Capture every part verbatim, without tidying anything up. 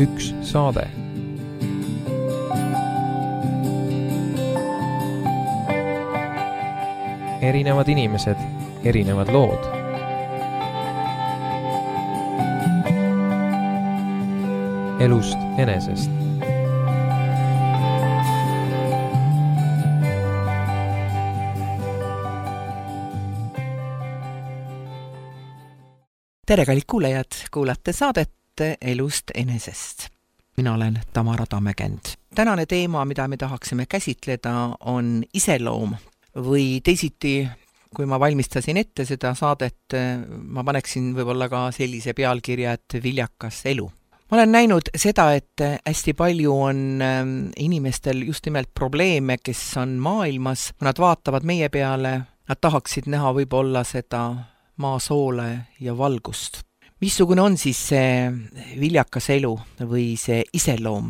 üks saade. Erinevad inimesed, erinevad lood. Elust enesest. Tere, kallid kuulajad, kuulate saadet Elust enesest. Mina olen Tamara Tammekend. Tänane teema, mida me tahaksime käsitleda, on iseloom või teisiti, kui ma valmistasin ette seda saadet, ma paneksin võib-olla ka sellise pealkirja, et viljakas elu. Ma olen näinud seda, et hästi palju on inimestel just nimelt probleeme, kes on maailmas, nad vaatavad meie peale, nad tahaksid näha võib-olla seda maasoole ja valgust. Missugune on siis see viljakas elu või see iseloom?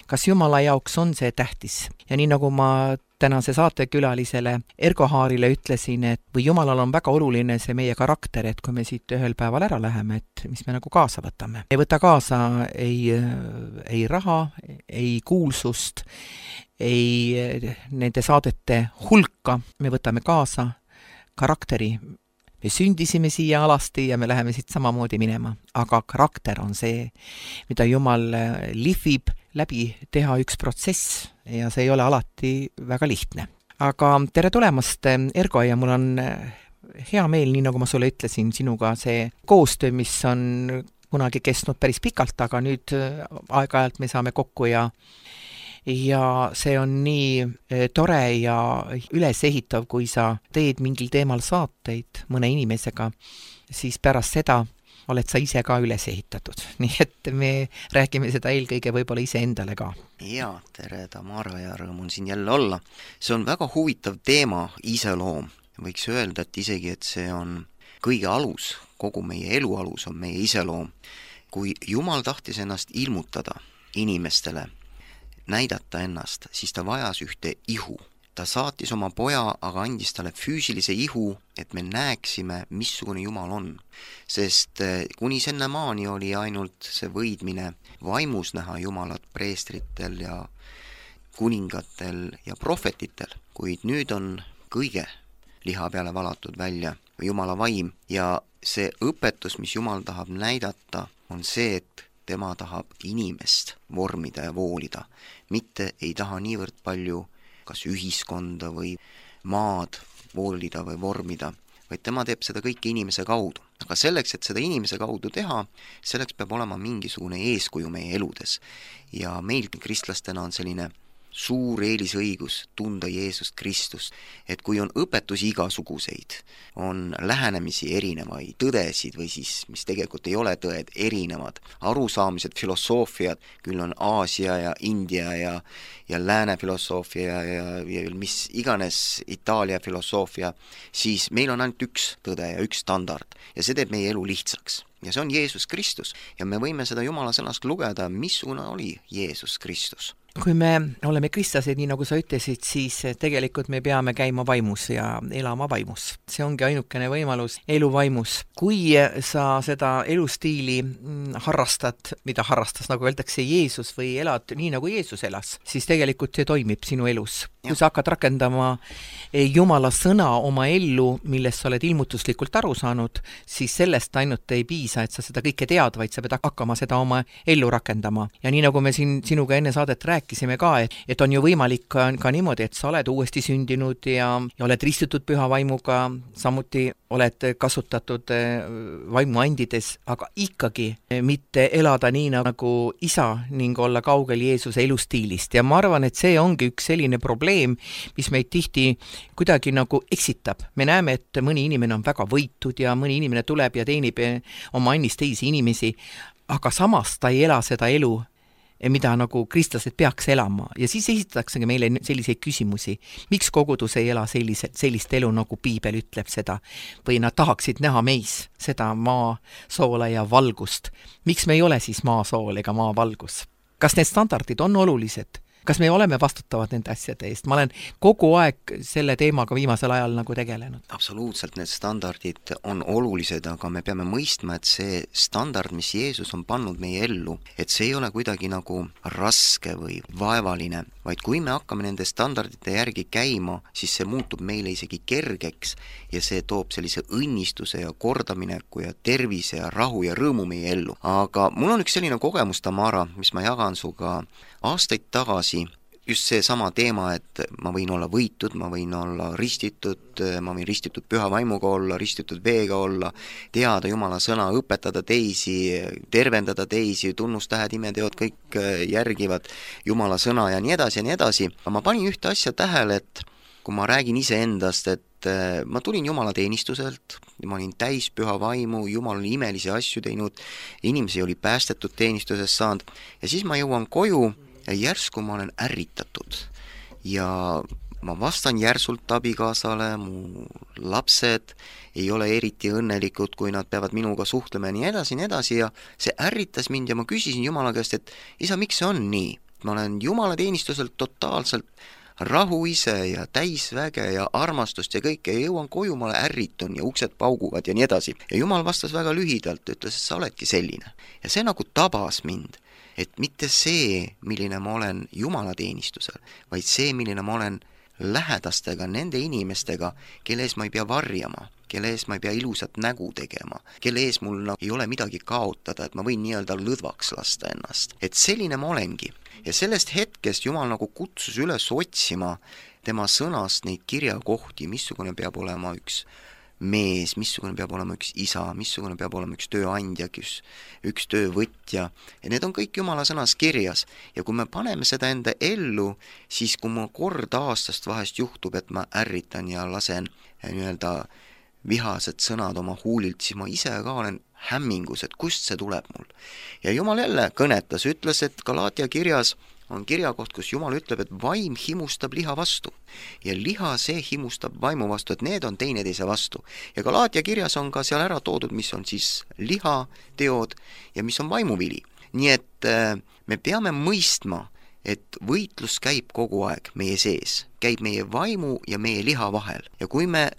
Kas Jumala jaoks on see tähtis? Ja nii nagu ma tänase saatekülalisele Ergo Haarile ütlesin, et või Jumalal on väga oluline see meie karakter, et kui me siit ühel päeval ära läheme, et mis me nagu kaasa võtame. Ei võta kaasa ei, ei raha, ei kuulsust, ei nende saadete hulka, me võtame kaasa karakteri. Me sündisime siia alasti ja me läheme siit samamoodi minema, aga karakter on see, mida Jumal lihvib läbi teha üks protsess ja see ei ole alati väga lihtne. Aga tere tulemast, Ergo, ja mul on hea meel, nii nagu ma sulle ütlesin, sinuga see koostöö, mis on kunagi kestnud päris pikalt, aga nüüd aeg-ajalt me saame kokku ja ja see on nii tore ja ülesehitav, kui sa teed mingil teemal saateid mõne inimesega, siis pärast seda oled sa ise ka üles ehitatud. Nii et me räägime seda eelkõige võib-olla ise endale ka. Ja, tere Tamara ja rõõm on siin jälle olla. See on väga huvitav teema, iseloom. Võiks öelda, et isegi, et see on kõige alus, kogu meie elu alus on meie iseloom. Kui Jumal tahtis ennast ilmutada inimestele, näidata ennast, siis ta vajas ühte ihu. Ta saatis oma poja, aga andis talle füüsilise ihu, et me näeksime, missugune Jumal on. Sest kuni senne maani oli ainult see võidmine vaimus näha Jumalat preestritel ja kuningatel ja prohvetitel, kuid nüüd on kõige liha peale valatud välja Jumala vaim ja see õpetus, mis Jumal tahab näidata, on see, et tema tahab inimest vormida ja voolida, mitte ei taha niivõrd palju kas ühiskonda või maad voolida või vormida, vaid tema teeb seda kõike inimese kaudu. Aga selleks, et seda inimese kaudu teha, selleks peab olema mingisugune eeskuju meie eludes. Ja meil kristlastena on selline suur eelisõigus tunda Jeesust Kristust, et kui on õpetusi igasuguseid, on lähenemisi erinevaid, tõdesid või siis, mis tegelikult ei ole tõed, erinevad, arusaamised, filosoofiad, küll on Aasia ja India ja, ja lääne filosoofia ja, ja mis iganes Itaalia filosoofia, siis meil on ainult üks tõde ja üks standard ja see teeb meie elu lihtsaks. Ja see on Jeesus Kristus ja me võime seda Jumala sõnast lugeda, missugune oli Jeesus Kristus. Kui me oleme kristlased, nii nagu sa ütlesid, siis tegelikult me peame käima vaimus ja elama vaimus. See ongi ainukene võimalus elu vaimus. Kui sa seda elustiili harrastad, mida harrastas, nagu öeldakse, Jeesus või elad nii, nagu Jeesus elas, siis tegelikult see toimib sinu elus. Kui sa hakkad rakendama Jumala sõna oma ellu, millest sa oled ilmutuslikult aru saanud, siis sellest ainult ei piisa, et sa seda kõike tead, vaid sa pead hakkama seda oma ellu rakendama. Ja nii nagu me siin sinuga enne saadet rääkisime ka, et, et on ju võimalik ka, ka niimoodi, et sa oled uuesti sündinud ja, ja oled ristitud püha vaimuga, samuti oled kasutatud vaimu andides, aga ikkagi mitte elada nii nagu isa ning olla kaugel Jeesuse elustiilist. Ja ma arvan, et see ongi üks selline probleem, mis meid tihti kuidagi nagu eksitab. Me näeme, et mõni inimene on väga võitud ja mõni inimene tuleb ja teenib oma annist teisi inimesi, aga samas ta ei ela seda elu, mida nagu kristlased peaks elama. Ja siis esitatakse meile selliseid küsimusi. Miks kogudus ei ela sellise, sellist elu, nagu Piibel ütleb seda? Või nad tahaksid näha meis seda maa, soola ja valgust. Miks me ei ole siis maa, sool ega maa, valgus? Kas need standardid on olulised? kas me oleme vastutavad nende asjade eest? Ma olen kogu aeg selle teemaga viimasel ajal nagu tegelenud. Absoluutselt, need standardid on olulised, aga me peame mõistma, et see standard, mis Jeesus on pannud meie ellu, et see ei ole kuidagi nagu raske või vaevaline, vaid kui me hakkame nende standardite järgi käima, siis see muutub meile isegi kergeks ja see toob sellise õnnistuse ja kordamineku ja tervise ja rahu ja rõõmu meie ellu. Aga mul on üks selline kogemus, Tamara, mis ma jagan suga aastaid tagasi, just see sama teema, et ma võin olla võitud, ma võin olla ristitud, ma võin ristitud püha vaimuga olla, ristitud veega olla, teada Jumala sõna, õpetada teisi, tervendada teisi, tunnustähed, imeteod, kõik järgivad Jumala sõna ja nii edasi ja nii edasi. Ma panin ühte asja tähele, et kui ma räägin iseendast, et ma tulin Jumala teenistuselt, ma olin täis püha vaimu, Jumal oli imelisi asju teinud, inimesi oli päästetud teenistusest saanud ja siis ma jõuan koju ja järsku ma olen ärritatud ja ma vastan järsult abikaasale, mu lapsed ei ole eriti õnnelikud, kui nad peavad minuga suhtlema ja nii edasi, nii edasi ja see ärritas mind ja ma küsisin Jumala käest, et isa, miks see on nii? Ma olen Jumala teenistuselt totaalselt rahu ise ja täisväge ja armastust ja kõike ja jõuan koju, ma ärritun ja uksed pauguvad ja nii edasi. Ja Jumal vastas väga lühidalt, ütles, et sa oledki selline. Ja see nagu tabas mind, et mitte see, milline ma olen Jumala teenistusel, vaid see, milline ma olen lähedastega, nende inimestega, kelle ees ma ei pea varjama, kelle ees ma ei pea ilusat nägu tegema, kelle ees mul ei ole midagi kaotada, et ma võin nii-öelda lõdvaks lasta ennast. Et selline ma olengi. Ja sellest hetkest Jumal nagu kutsus üles otsima tema sõnast neid kirjakohti, missugune peab olema üks mees, missugune peab olema üks isa, missugune peab olema üks tööandja, üks, üks töövõtja. Ja need on kõik Jumala sõnas kirjas. Ja kui me paneme seda enda ellu, siis kui mul kord aastast vahest juhtub, et ma ärritan ja lasen nii-öelda vihased sõnad oma huulilt, siis ma ise ka olen hämmingus, et kust see tuleb mul. Ja Jumal jälle kõnetas, ütles, et Galaatia kirjas on kirjakoht, kus Jumal ütleb, et vaim himustab liha vastu. Ja liha see himustab vaimu vastu, et need on teineteise vastu. Ja Galaatia kirjas on ka seal ära toodud, mis on siis liha teod ja mis on vaimuvili. Nii et me peame mõistma, et võitlus käib kogu aeg meie sees. Käib meie vaimu ja meie liha vahel. Ja kui me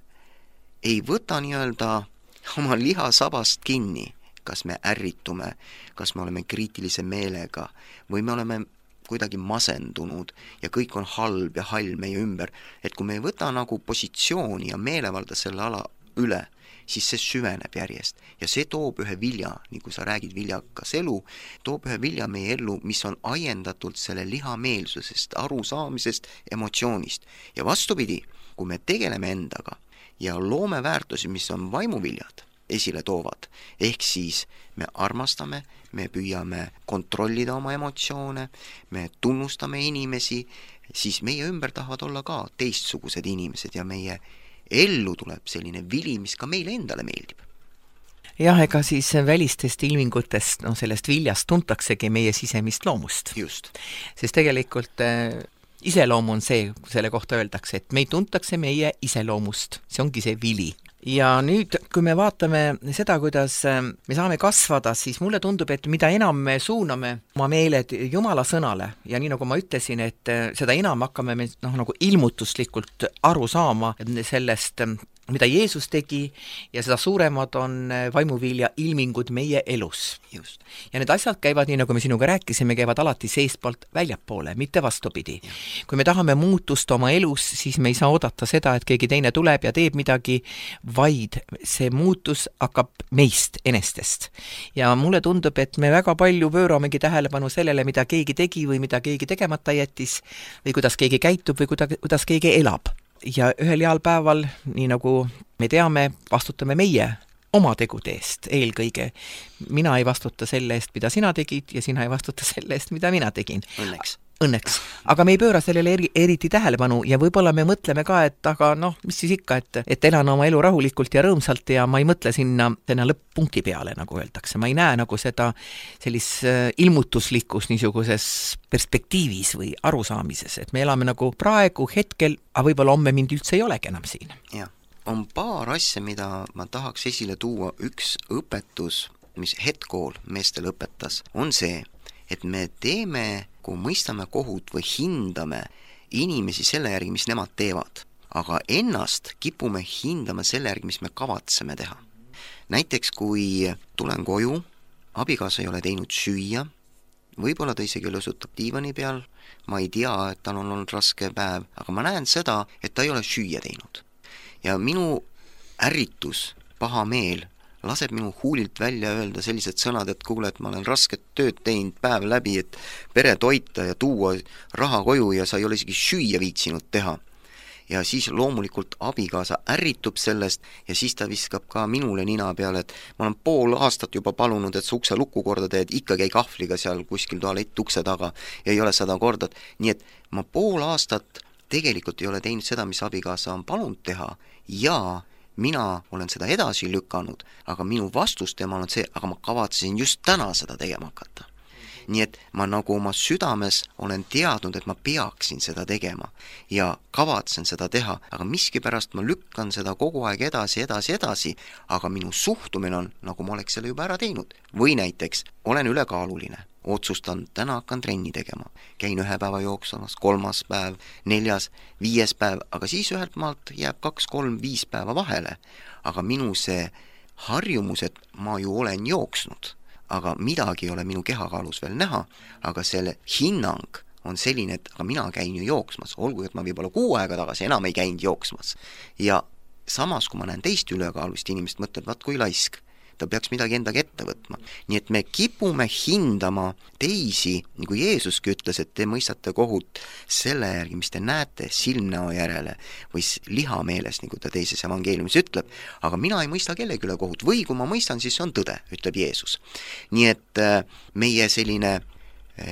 ei võta nii-öelda oma liha sabast kinni, kas me ärritume, kas me oleme kriitilise meelega või me oleme kuidagi masendunud ja kõik on halb ja hall meie ümber, et kui me ei võta nagu positsiooni ja meelevalda selle ala üle, siis see süveneb järjest ja see toob ühe vilja, nii kui sa räägid viljakas elu, toob ühe vilja meie ellu, mis on ajendatult selle lihameelsusest, arusaamisest, emotsioonist. Ja vastupidi, kui me tegeleme endaga ja loome väärtusi, mis on vaimuviljad, esile toovad. Ehk siis me armastame, me püüame kontrollida oma emotsioone, me tunnustame inimesi, siis meie ümber tahavad olla ka teistsugused inimesed ja meie ellu tuleb selline vili, mis ka meile endale meeldib. Jah, ega siis välistest ilmingutest, no sellest viljast tuntaksegi meie sisemist loomust. Just. Sest tegelikult iseloom on see, selle kohta öeldakse, et meid tuntakse meie iseloomust. See ongi see vili. Ja nüüd, kui me vaatame seda, kuidas me saame kasvada, siis mulle tundub, et mida enam me suuname oma meeled Jumala sõnale ja nii nagu ma ütlesin, et seda enam hakkame me noh, nagu ilmutuslikult aru saama sellest, mida Jeesus tegi ja seda suuremad on vaimuvilja ilmingud meie elus. Just. Ja need asjad käivad, nii nagu me sinuga rääkisime, käivad alati seestpoolt väljapoole, mitte vastupidi. Ja. Kui me tahame muutust oma elus, siis me ei saa oodata seda, et keegi teine tuleb ja teeb midagi, vaid see muutus hakkab meist enestest. Ja mulle tundub, et me väga palju pööramegi tähelepanu sellele, mida keegi tegi või mida keegi tegemata jättis või kuidas keegi käitub või kuidas, kuidas keegi elab. Ja ühel heal päeval, nii nagu me teame, vastutame meie oma tegude eest eelkõige. Mina ei vastuta selle eest, mida sina tegid ja sina ei vastuta selle eest, mida mina tegin. Õnneks. Õnneks. Aga me ei pööra sellele eri, eriti tähelepanu ja võib-olla me mõtleme ka, et aga noh, mis siis ikka, et, et elan oma elu rahulikult ja rõõmsalt ja ma ei mõtle sinna, sinna lõpp-punkti peale, nagu öeldakse. Ma ei näe nagu seda sellis ilmutuslikus niisuguses perspektiivis või arusaamises, et me elame nagu praegu hetkel, aga võib-olla homme mind üldse ei olegi enam siin. Jah, on paar asja, mida ma tahaks esile tuua. Üks õpetus, mis hetkool meestel õpetas, on see, et me teeme, kui mõistame kohut või hindame inimesi selle järgi, mis nemad teevad, aga ennast kipume hindama selle järgi, mis me kavatseme teha. Näiteks, kui tulen koju, abikaasa ei ole teinud süüa, võib-olla ta isegi lõsutab diivani peal, ma ei tea, et tal on olnud raske päev, aga ma näen seda, et ta ei ole süüa teinud. Ja minu ärritus, paha meel, laseb minu huulilt välja öelda sellised sõnad, et kuule, et ma olen rasket tööd teinud päev läbi, et pere toita ja tuua raha koju ja sa ei ole isegi süüa viitsinud teha. Ja siis loomulikult abikaasa ärritub sellest ja siis ta viskab ka minule nina peale, et ma olen pool aastat juba palunud, et sa ukse lukku korda teed, ikka käi kahvliga seal kuskil tualett ukse taga ja ei ole seda korda. Nii et ma pool aastat tegelikult ei ole teinud seda, mis abikaasa on palunud teha ja mina olen seda edasi lükanud, aga minu vastus tema on see, aga ma kavatsesin just täna seda tegema hakata. Nii et ma nagu oma südames olen teadnud, et ma peaksin seda tegema ja kavatsen seda teha, aga miskipärast ma lükkan seda kogu aeg edasi, edasi, edasi, aga minu suhtumine on, nagu ma oleks selle juba ära teinud. Või näiteks, olen ülekaaluline, otsustan, täna hakkan trenni tegema, käin ühe päeva jooksumas, kolmas päev, neljas, viies päev, aga siis ühelt maalt jääb kaks, kolm, viis päeva vahele, aga minu see harjumus, et ma ju olen jooksnud, aga midagi ei ole minu kehakaalus veel näha, aga selle hinnang on selline, et aga mina käin ju jooksmas, olgu, et ma võib-olla kuu aega tagasi enam ei käinud jooksmas. Ja samas, kui ma näen teist ülekaalust inimest, mõtleb, vaat kui laisk, ta peaks midagi endaga ette võtma. Nii et me kipume hindama teisi, nagu Jeesuski ütles, et te mõistate kohut selle järgi, mis te näete silmnäo järele või lihameeles, nagu ta teises evangeeliumis ütleb, aga mina ei mõista kellegi üle kohut või kui ma mõistan, siis see on tõde, ütleb Jeesus. Nii et meie selline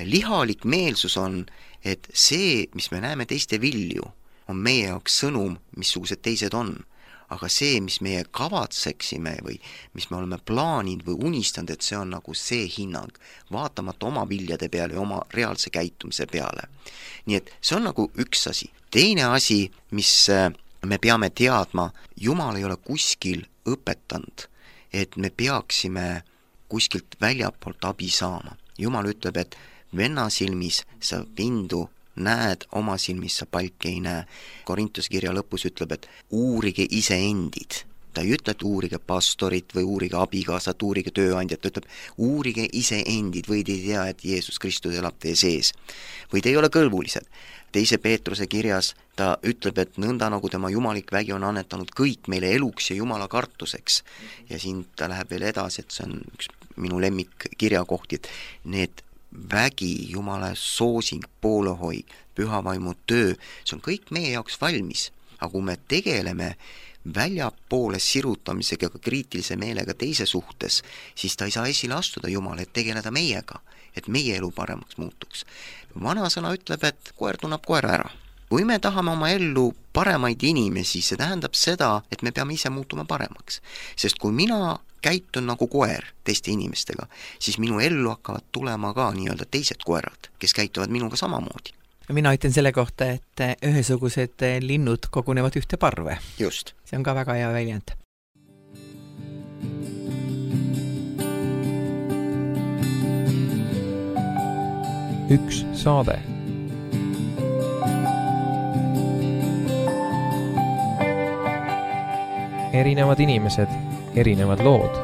lihalik meelsus on, et see, mis me näeme teiste vilju, on meie jaoks sõnum, missugused teised on. Aga see, mis meie kavatseksime või mis me oleme plaaninud või unistanud, et see on nagu see hinnang, vaatamata oma viljade peale ja oma reaalse käitumise peale. Nii et see on nagu üks asi. Teine asi, mis me peame teadma, Jumal ei ole kuskil õpetanud, et me peaksime kuskilt väljapoolt abi saama. Jumal ütleb, et venna silmis sa pindu näed, oma silmis sa palki ei näe. Korintuse kirja lõpus ütleb, et uurige ise endid. Ta ei ütle, et uurige pastorit või uurige abikaasat, uurige tööandjat, ta ütleb, uurige ise endid või te ei tea, et Jeesus Kristus elab teie sees. Või te ei ole kõlbulised. Teise Peetruse kirjas ta ütleb, et nõnda nagu tema jumalik vägi on annetanud kõik meile eluks ja jumala kartuseks. Ja siin ta läheb veel edasi, et see on üks minu lemmik kirjakohti, et need vägi, Jumala soosing, poolehoid, pühavaimu töö, see on kõik meie jaoks valmis. Aga kui me tegeleme väljapoole sirutamisega ja kriitilise meelega teise suhtes, siis ta ei saa esile astuda Jumala, et tegeleda meiega, et meie elu paremaks muutuks. Vana sõna ütleb, et koer tunneb koera ära. Kui me tahame oma ellu paremaid inimesi, see tähendab seda, et me peame ise muutuma paremaks. Sest kui mina käitun nagu koer teiste inimestega, siis minu ellu hakkavad tulema ka nii-öelda teised koerad, kes käituvad minuga samamoodi. Mina ütlen selle kohta, et ühesugused linnud kogunevad ühte parve. Just. See on ka väga hea väljend. Üks saade. Erinevad inimesed, erinevad lood.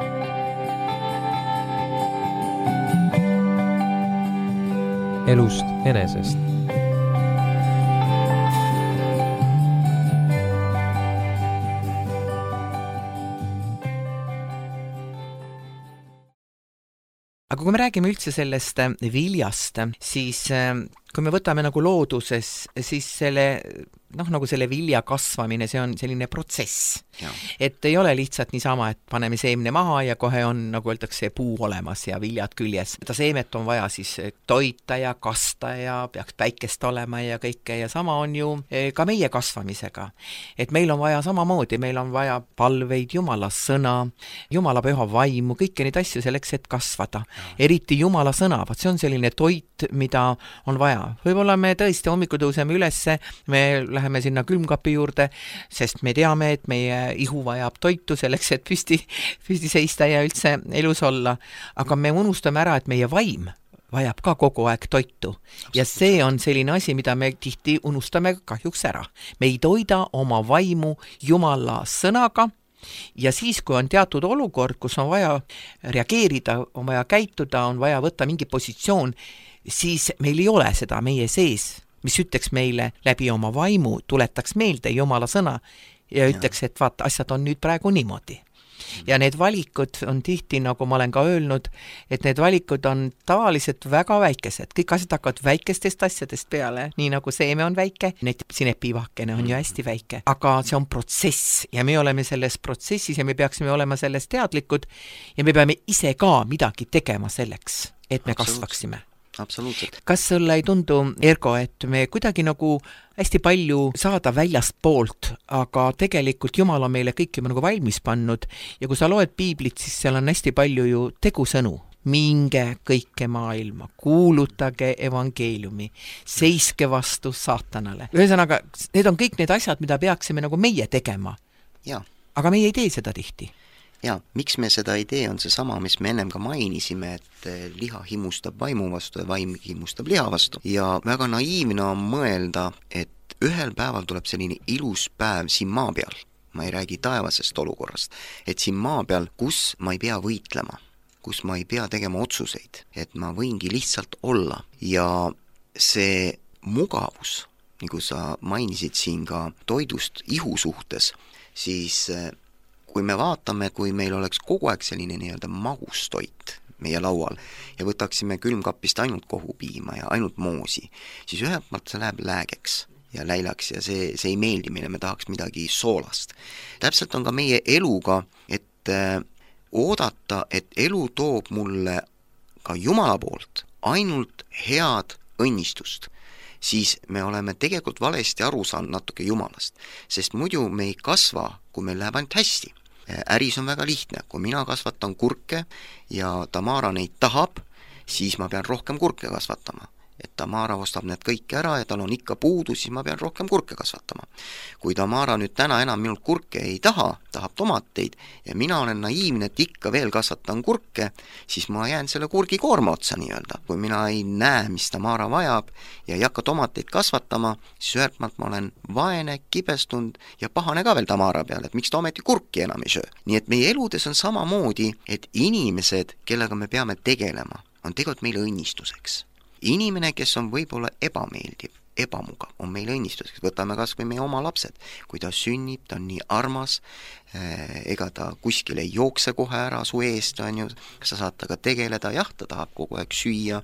Elust enesest. Aga kui me räägime üldse sellest viljast, siis kui me võtame nagu looduses, siis selle, noh, nagu selle vilja kasvamine, see on selline protsess. Ja. Et ei ole lihtsalt niisama, et paneme seemne maha ja kohe on, nagu öeldakse, puu olemas ja viljad küljes. Ta seemet on vaja siis toita ja kasta ja peaks päikest olema ja kõike ja sama on ju ka meie kasvamisega. Et meil on vaja samamoodi, meil on vaja palveid, Jumala sõna, Jumala püha vaimu, kõiki neid asju selleks, et kasvada. Ja. Eriti Jumala sõna, vaat see on selline toit, mida on vaja. Võib-olla me tõesti hommikul tõuseme ülesse, me läheme sinna külmkapi juurde, sest me teame, et meie ihu vajab toitu selleks, et püsti, püsti seista ja üldse elus olla. Aga me unustame ära, et meie vaim vajab ka kogu aeg toitu. Ja see on selline asi, mida me tihti unustame kahjuks ära. Me ei toida oma vaimu Jumala sõnaga ja siis, kui on teatud olukord, kus on vaja reageerida, on vaja käituda, on vaja võtta mingi positsioon, siis meil ei ole seda meie sees, mis ütleks meile läbi oma vaimu, tuletaks meelde Jumala sõna ja ütleks, et vaata, asjad on nüüd praegu niimoodi. Ja need valikud on tihti, nagu ma olen ka öelnud, et need valikud on tavaliselt väga väikesed. Kõik asjad hakkavad väikestest asjadest peale, nii nagu seeme on väike, need sinepiivakene on ju hästi väike. Aga see on protsess ja me oleme selles protsessis ja me peaksime olema sellest teadlikud ja me peame ise ka midagi tegema selleks, et me kasvaksime. Absoluutselt. Kas sulle ei tundu, Ergo, et me kuidagi nagu hästi palju saada väljast poolt, aga tegelikult Jumal on meile kõik juba nagu valmis pannud ja kui sa loed piiblit, siis seal on hästi palju ju tegusõnu. Minge kõike maailma, kuulutage evangeeliumi, seiske vastu saatanale. Ühesõnaga, need on kõik need asjad, mida peaksime nagu meie tegema. Ja. Aga meie ei tee seda tihti. Ja, miks me seda ei tee, on see sama, mis me ennem ka mainisime, et liha himustab vaimu vastu ja vaim himustab liha vastu. Ja väga naiivne on mõelda, et ühel päeval tuleb selline ilus päev siin maa peal, ma ei räägi taevasest olukorrast, et siin maa peal, kus ma ei pea võitlema, kus ma ei pea tegema otsuseid, et ma võingi lihtsalt olla. Ja see mugavus, nagu sa mainisid siin ka toidust ihu suhtes, siis kui me vaatame, kui meil oleks kogu aeg selline nii-öelda magustoit meie laual ja võtaksime külmkapist ainult kohupiima ja ainult moosi, siis ühelt maalt see läheb läägeks ja läilaks ja see, see ei meeldi meile, me tahaks midagi soolast. Täpselt on ka meie eluga, et äh, oodata, et elu toob mulle ka Jumala poolt ainult head õnnistust, siis me oleme tegelikult valesti aru saanud natuke Jumalast, sest muidu me ei kasva, kui meil läheb ainult hästi. Äris on väga lihtne, kui mina kasvatan kurke ja Tamara neid tahab, siis ma pean rohkem kurke kasvatama. Et Tamara ostab need kõik ära ja tal on ikka puudu, siis ma pean rohkem kurke kasvatama. Kui Tamara nüüd täna enam minult kurke ei taha, tahab tomateid ja mina olen naiivne, et ikka veel kasvatan kurke, siis ma jään selle kurgi koorma otsa nii-öelda. Kui mina ei näe, mis Tamara vajab ja ei hakka tomateid kasvatama, siis ühelt maalt ma olen vaene, kibestunud ja pahane ka veel Tamara peale, et miks ta ometi kurki enam ei söö. Nii et meie eludes on samamoodi, et inimesed, kellega me peame tegelema, on tegelikult meile õnnistuseks. Inimene, kes on võib-olla ebameeldiv, ebamugav, on meile õnnistuseks. Võtame kas või meie oma lapsed. Kui ta sünnib, ta on nii armas, ega ta kuskil ei jookse kohe ära su eest, on ju, sa saad taga tegeleda, jah, ta tahab kogu aeg süüa,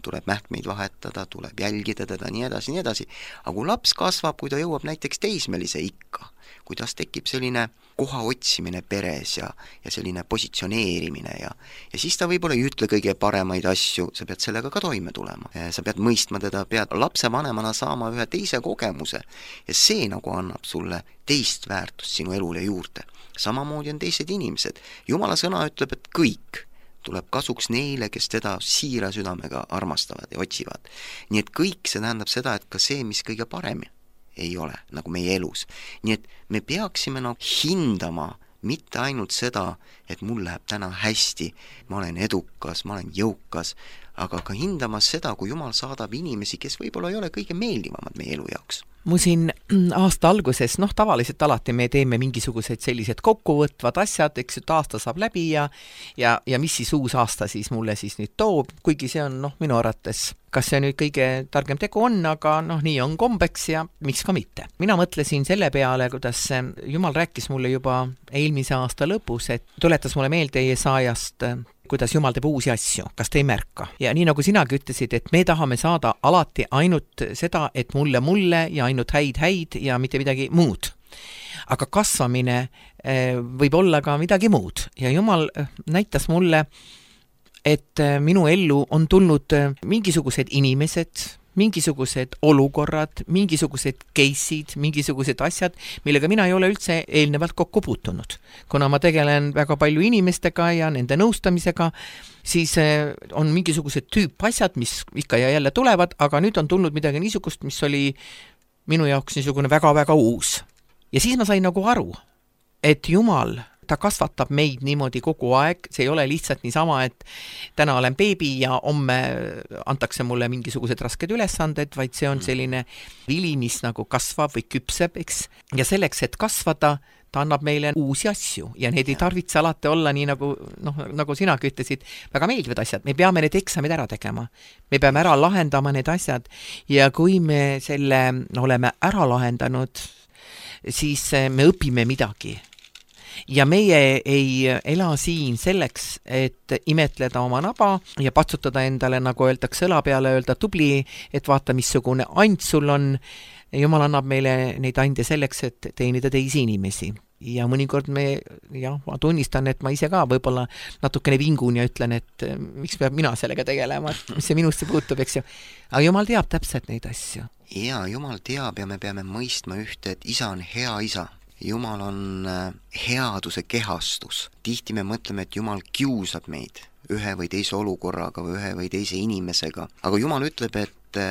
tuleb mähkmeid vahetada, tuleb jälgida teda, nii edasi, nii edasi. Aga kui laps kasvab, kui ta jõuab näiteks teismelise ikka, kuidas tekib selline koha otsimine peres ja, ja selline positsioneerimine ja, ja siis ta võib-olla ei ütle kõige paremaid asju, sa pead sellega ka toime tulema. Sa pead mõistma teda, pead lapse vanemana saama ühe teise kogemuse ja see nagu annab sulle teist väärtust sinu elule juurde. Samamoodi on teised inimesed. Jumala sõna ütleb, et kõik tuleb kasuks neile, kes teda siira südamega armastavad ja otsivad. Nii et kõik see tähendab seda, et ka see, mis kõige parem ei ole, nagu meie elus. Nii et me peaksime nagu hindama mitte ainult seda, et mul läheb täna hästi, ma olen edukas, ma olen jõukas, aga ka hindama seda, kui Jumal saadab inimesi, kes võib-olla ei ole kõige meeldivamad meie elu jaoks. Mu siin aasta alguses, noh tavaliselt alati me teeme mingisugused sellised kokkuvõtvad asjad, eks ju, aasta saab läbi ja, ja, ja mis siis uus aasta siis mulle siis nüüd toob, kuigi see on noh minu arvates, kas see nüüd kõige targem tegu on, aga noh nii on kombeks ja miks ka mitte. Mina mõtlesin selle peale, kuidas Jumal rääkis mulle juba eelmise aasta lõpus, et tuletas mulle meelde Jesaajast, kuidas Jumal teeb uusi asju, kas te ei märka. Ja nii nagu sinagi ütlesid, et me tahame saada alati ainult seda, et mulle mulle ja ainult häid häid ja mitte midagi muud. Aga kasvamine võib olla ka midagi muud. Ja Jumal näitas mulle, et minu ellu on tulnud mingisugused inimesed, mingisugused olukorrad, mingisugused case'id, mingisugused asjad, millega mina ei ole üldse eelnevalt kokku puutunud. Kuna ma tegelen väga palju inimestega ja nende nõustamisega, siis on mingisugused tüüp asjad, mis ikka ja jälle tulevad, aga nüüd on tulnud midagi niisugust, mis oli minu jaoks niisugune väga-väga uus. Ja siis ma sain nagu aru, et Jumal ta kasvatab meid niimoodi kogu aeg, see ei ole lihtsalt niisama, et täna olen beebi ja homme antakse mulle mingisugused rasked ülesanded, vaid see on selline vili, mis nagu kasvab või küpseb, eks. Ja selleks, et kasvada, ta annab meile uusi asju ja need ei tarvitse alati olla nii nagu, noh, nagu sinagi ütlesid, väga meeldivad asjad. Me peame need eksamid ära tegema. Me peame ära lahendama need asjad ja kui me selle oleme ära lahendanud, siis me õpime midagi. Ja meie ei ela siin selleks, et imetleda oma naba ja patsutada endale, nagu öeldakse, õla peale, öelda tubli, et vaata, missugune and sul on. Jumal annab meile neid ande selleks, et teenida teisi inimesi. Ja mõnikord me, jah, ma tunnistan, et ma ise ka võib-olla natukene vingun ja ütlen, et miks peab mina sellega tegelema, et mis see minusse puutub, eks ju. Aga Jumal teab täpselt neid asju. Ja, Jumal teab ja me peame mõistma ühte, et isa on hea isa. Jumal on headuse kehastus. Tihti me mõtleme, et Jumal kiusab meid ühe või teise olukorraga või ühe või teise inimesega. Aga Jumal ütleb, et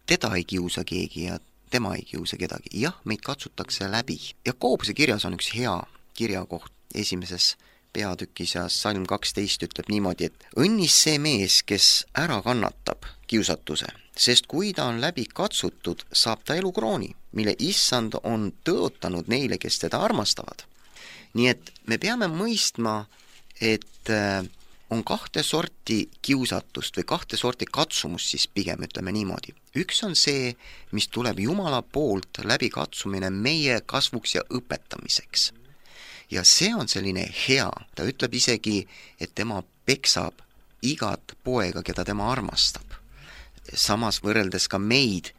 teda ei kiusa keegi ja tema ei kiusa kedagi. Jah, meid katsutakse läbi. Ja Koobuse kirjas on üks hea kirjakoht esimeses peatükis ja salm kaksteist ütleb niimoodi, et õnnis see mees, kes ära kannatab kiusatuse, sest kui ta on läbi katsutud, saab ta elukrooni, mille issand on tõotanud neile, kes teda armastavad. Nii et me peame mõistma, et on kahte sorti kiusatust või kahte sorti katsumust, siis pigem ütleme niimoodi. Üks on see, mis tuleb Jumala poolt läbi katsumine meie kasvuks ja õpetamiseks. Ja see on selline hea. Ta ütleb isegi, et tema peksab igat poega, keda tema armastab. Samas võrreldes ka meid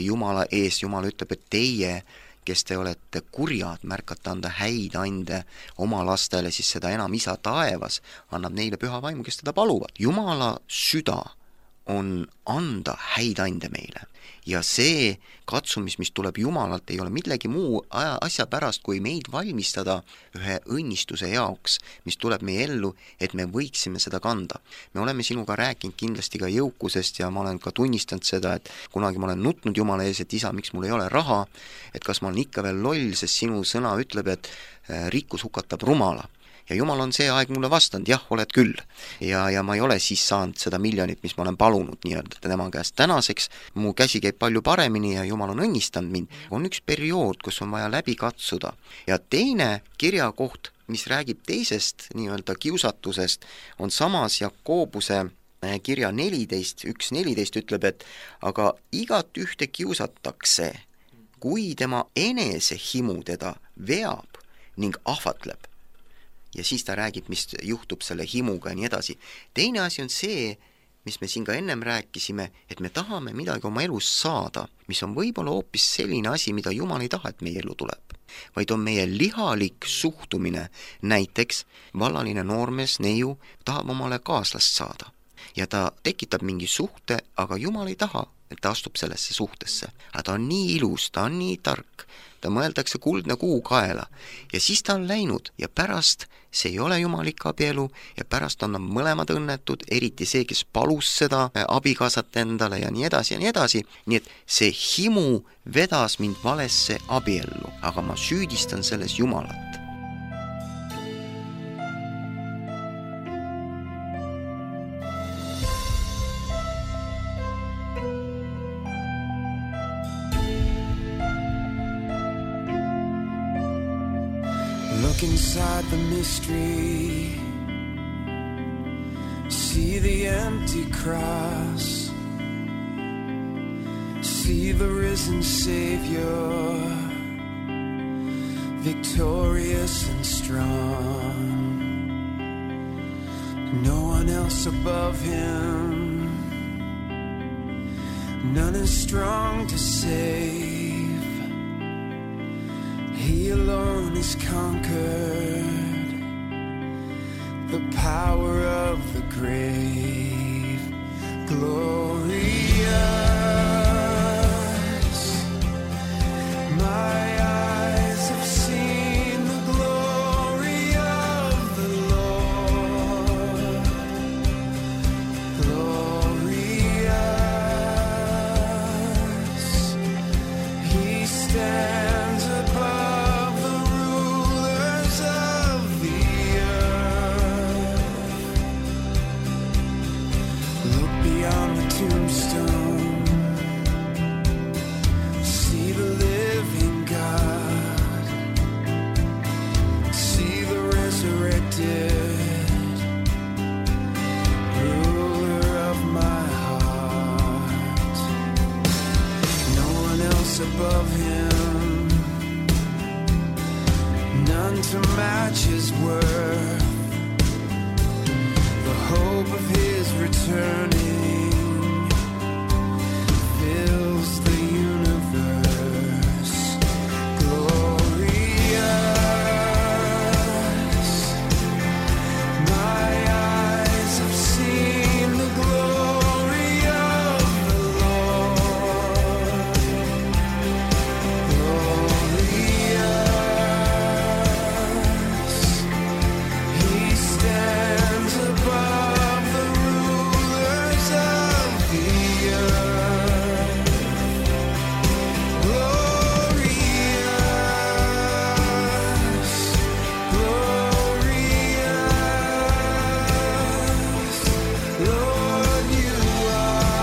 Jumala ees, Jumal ütleb, et teie, kes te olete kurjad, märkate anda häid ande oma lastele, siis seda enam isa taevas annab neile püha vaimu, kes teda paluvad. Jumala süda on anda häid ande meile. Ja see katsumis, mis tuleb Jumalalt, ei ole millegi muu asja pärast, kui meid valmistada ühe õnnistuse jaoks, mis tuleb meie ellu, et me võiksime seda kanda. Me oleme sinuga rääkinud kindlasti ka jõukusest ja ma olen ka tunnistanud seda, et kunagi ma olen nutnud Jumala ees, et isa, miks mul ei ole raha, et kas ma olen ikka veel loll, sest sinu sõna ütleb, et rikkus hukatab rumala. Ja Jumal on see aeg mulle vastanud, jah, oled küll. Ja, ja ma ei ole siis saanud seda miljonit, mis ma olen palunud nii-öelda tema käest. Tänaseks mu käsi käib palju paremini ja Jumal on õnnistanud mind. On üks periood, kus on vaja läbi katsuda. Ja teine kirjakoht, mis räägib teisest nii-öelda kiusatusest, on samas Jakobuse kirja neliteist, üks neliteist ütleb, et aga igat ühte kiusatakse, kui tema enese himu teda veab ning ahvatleb. Ja siis ta räägib, mis juhtub selle himuga ja nii edasi. Teine asi on see, mis me siin ka ennem rääkisime, et me tahame midagi oma elus saada, mis on võib-olla hoopis selline asi, mida Jumal ei taha, et meie elu tuleb. Vaid on meie lihalik suhtumine, näiteks vallaline noormees, neiu, tahab omale kaaslast saada. Ja ta tekitab mingi suhte, aga Jumal ei taha, et ta astub sellesse suhtesse. Aga ta on nii ilus, ta on nii tark, ta mõeldakse kuldne kuu kaela ja siis ta on läinud ja pärast see ei ole jumalik abielu ja pärast on mõlemad õnnetud, eriti see, kes palus seda abikaasat endale ja nii edasi ja nii edasi. Nii et see himu vedas mind valesse abiellu, aga ma süüdistan selles Jumalat. Look inside the mystery, see the empty cross, see the risen Savior, victorious and strong. No one else above him, none as strong to save. He alone is conquered the power of the grave. Glorious, my eyes have seen the glory of the Lord. Glorious, he stands above the rulers of to match his worth. The hope of his returning fills the universe. Glorious, my eyes have seen the glory of the Lord. Glorious, he stands above the rulers of the earth. Glorious, glorious, Lord, you are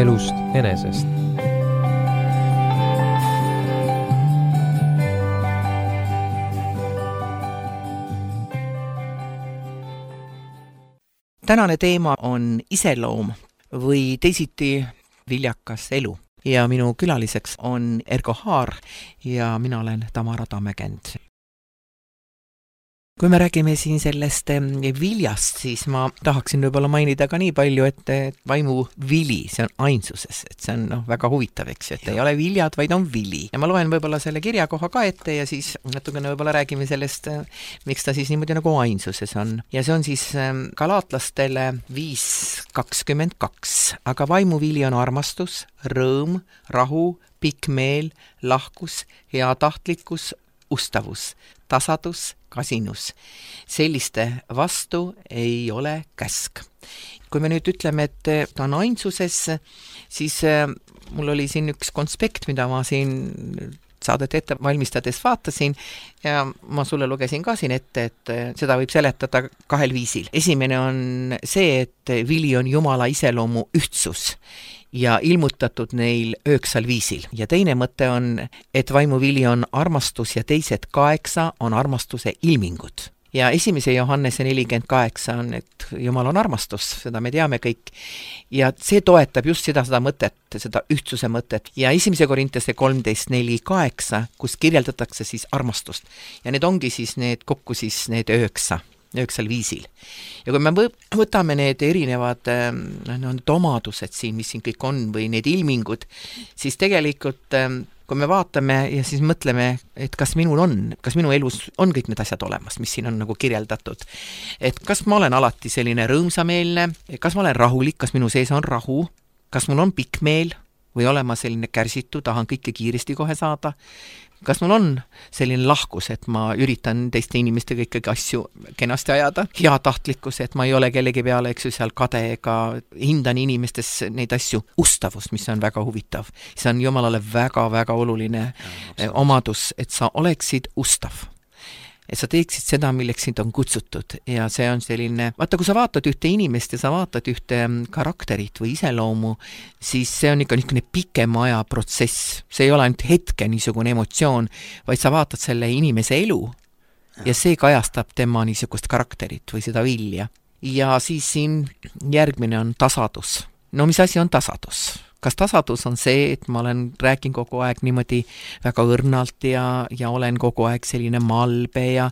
elust enesest. Tänane teema on iseloom või teisiti viljakas elu. Ja minu külaliseks on Ergo Haar ja mina olen Tamara Tammekend. Kui me räägime siin sellest viljast, siis ma tahaksin võib-olla mainida ka nii palju, et vaimu vili, see on ainsuses, et see on no, väga huvitav, eks, et ja. Ei ole viljad, vaid on vili. Ja ma loen võib-olla selle kirjakoha ka ette ja siis natukene võib-olla räägime sellest, miks ta siis niimoodi nagu ainsuses on. Ja see on siis galaatlastele viis kakskümmend kaks, aga vaimu vili on armastus, rõõm, rahu, pikk meel, lahkus, hea tahtlikkus, ustavus, tasadus, kasinus. Selliste vastu ei ole käsk. Kui me nüüd ütleme, et ta on ainsuses, siis mul oli siin üks konspekt, mida ma siin saadet ette valmistades vaatasin ja ma sulle lugesin ka siin ette, et seda võib seletada kahel viisil. Esimene on see, et vili on Jumala iseloomu ühtsus ja ilmutatud neil üheksal viisil. Ja teine mõte on, et vaimu vili on armastus ja teised kaheksa on armastuse ilmingud. Ja esimese Johannese nelikümmend kaheksa on, et Jumal on armastus, seda me teame kõik. Ja see toetab just seda, seda mõtet, seda ühtsuse mõtet. Ja esimese Korintese kolmteist neli kaheksa, kus kirjeldatakse siis armastust. Ja need ongi siis need kokku siis need üheksa. üheksal viisil. Ja kui me võtame need erinevad no, need omadused siin, mis siin kõik on, või need ilmingud, siis tegelikult kui me vaatame ja siis mõtleme, et kas minul on, kas minu elus on kõik need asjad olemas, mis siin on nagu kirjeldatud. Et kas ma olen alati selline rõõmsameelne, kas ma olen rahulik, kas minu sees on rahu, kas mul on pikk meel või olen ma selline kärsitu, tahan kõike kiiresti kohe saada. Kas mul on selline lahkus, et ma üritan teiste inimestega ikkagi asju kenasti ajada, hea tahtlikkus, et ma ei ole kellegi peale, eks ju, seal kade ega hindan inimestes neid asju, ustavus, mis on väga huvitav. See on Jumalale väga-väga oluline ja, omadus, et sa oleksid ustav. Et sa teeksid seda, milleks sind on kutsutud ja see on selline, vaata kui sa vaatad ühte inimest ja sa vaatad ühte karakterit või iseloomu, siis see on ikka niisugune pikema aja protsess. See ei ole ainult hetke niisugune emotsioon, vaid sa vaatad selle inimese elu ja see kajastab tema niisugust karakterit või seda vilja. Ja siis siin järgmine on tasadus. No mis asi on tasadus? Kas tasadus on see, et ma olen rääkin kogu aeg niimoodi väga õrnalt ja, ja olen kogu aeg selline malbe ja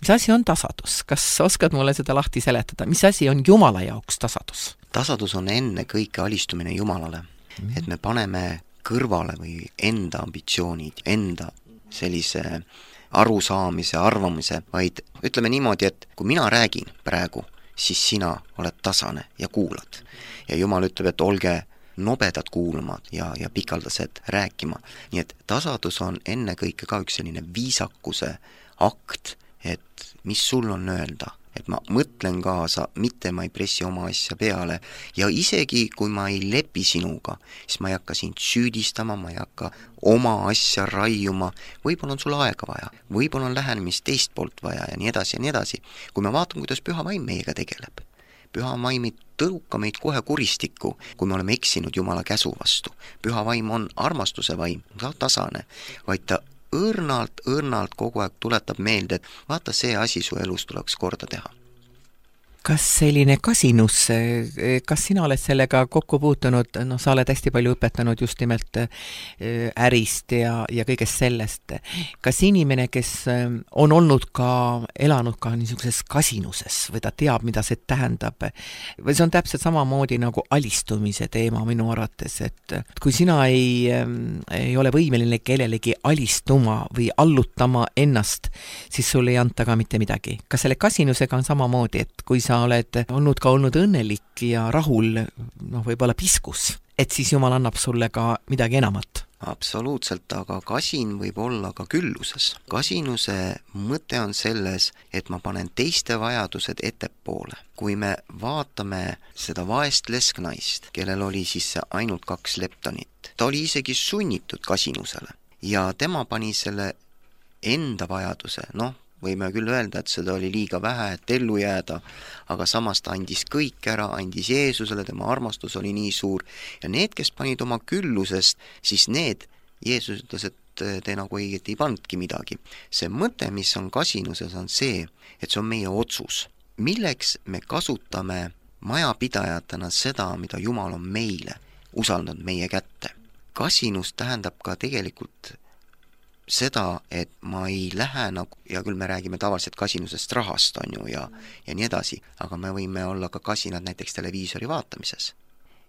mis asi on tasadus? Kas oskad mulle seda lahti seletada? Mis asi on Jumala jaoks tasadus? Tasadus on enne kõike alistumine Jumalale. Mm. Et me paneme kõrvale või enda ambitsioonid, enda sellise arusaamise, arvamise, vaid ütleme niimoodi, et kui mina räägin praegu, siis sina oled tasane ja kuulad. Ja Jumal ütleb, et olge nobedad kuulama ja, ja pikaldased rääkima. Nii et tasadus on enne kõike ka üks selline viisakuse akt, et mis sul on öelda, et ma mõtlen kaasa, mitte ma ei pressi oma asja peale ja isegi kui ma ei lepi sinuga, siis ma ei hakka sind süüdistama, ma ei hakka oma asja raiuma, võib-olla on sul aega vaja, võib-olla on lähenemist teist poolt vaja ja nii edasi ja nii edasi. Kui me vaatame, kuidas Püha Vaim meiega tegeleb, Püha Vaim ei tõuka meid kohe kuristikku, kui me oleme eksinud Jumala käsu vastu. Püha Vaim on armastuse vaim, ta tasane, vaid ta õrnalt, õrnalt kogu aeg tuletab meelde, et vaata see asi su elus tuleks korda teha. Kas selline kasinus, kas sina oled sellega kokku puutunud, no sa oled hästi palju õpetanud just nimelt ärist ja, ja kõigest sellest. Kas inimene, kes on olnud ka, elanud ka niisuguses kasinuses või ta teab, mida see tähendab, või see on täpselt samamoodi nagu alistumise teema minu arvates, et kui sina ei, ei ole võimeline kellelegi alistuma või allutama ennast, siis sul ei anta ka mitte midagi. Kas selle kasinusega on samamoodi, et kui sa oled olnud ka olnud õnnelik ja rahul, noh, võib-olla piskus, et siis Jumal annab sulle ka midagi enamat? Absoluutselt, aga kasin võib olla ka külluses. Kasinuse mõte on selles, et ma panen teiste vajadused ettepoole. Kui me vaatame seda vaest lesknaist, kellel oli siis ainult kaks leptonit, ta oli isegi sunnitud kasinusele ja tema pani selle enda vajaduse, noh, võime küll öelda, et seda oli liiga vähe, et ellu jääda, aga samas ta andis kõik ära, andis Jeesusele, tema armastus oli nii suur ja need, kes panid oma küllusest, siis need, Jeesus ütles, et te nagu õieti ei pandki midagi. See mõte, mis on kasinuses, on see, et see on meie otsus. Milleks me kasutame majapidajatena seda, mida Jumal on meile usaldanud meie kätte? Kasinus tähendab ka tegelikult seda, et ma ei lähe nagu, ja küll me räägime tavaliselt kasinusest rahast, on ju, ja, ja nii edasi, aga me võime olla ka kasinad näiteks televiisori vaatamises.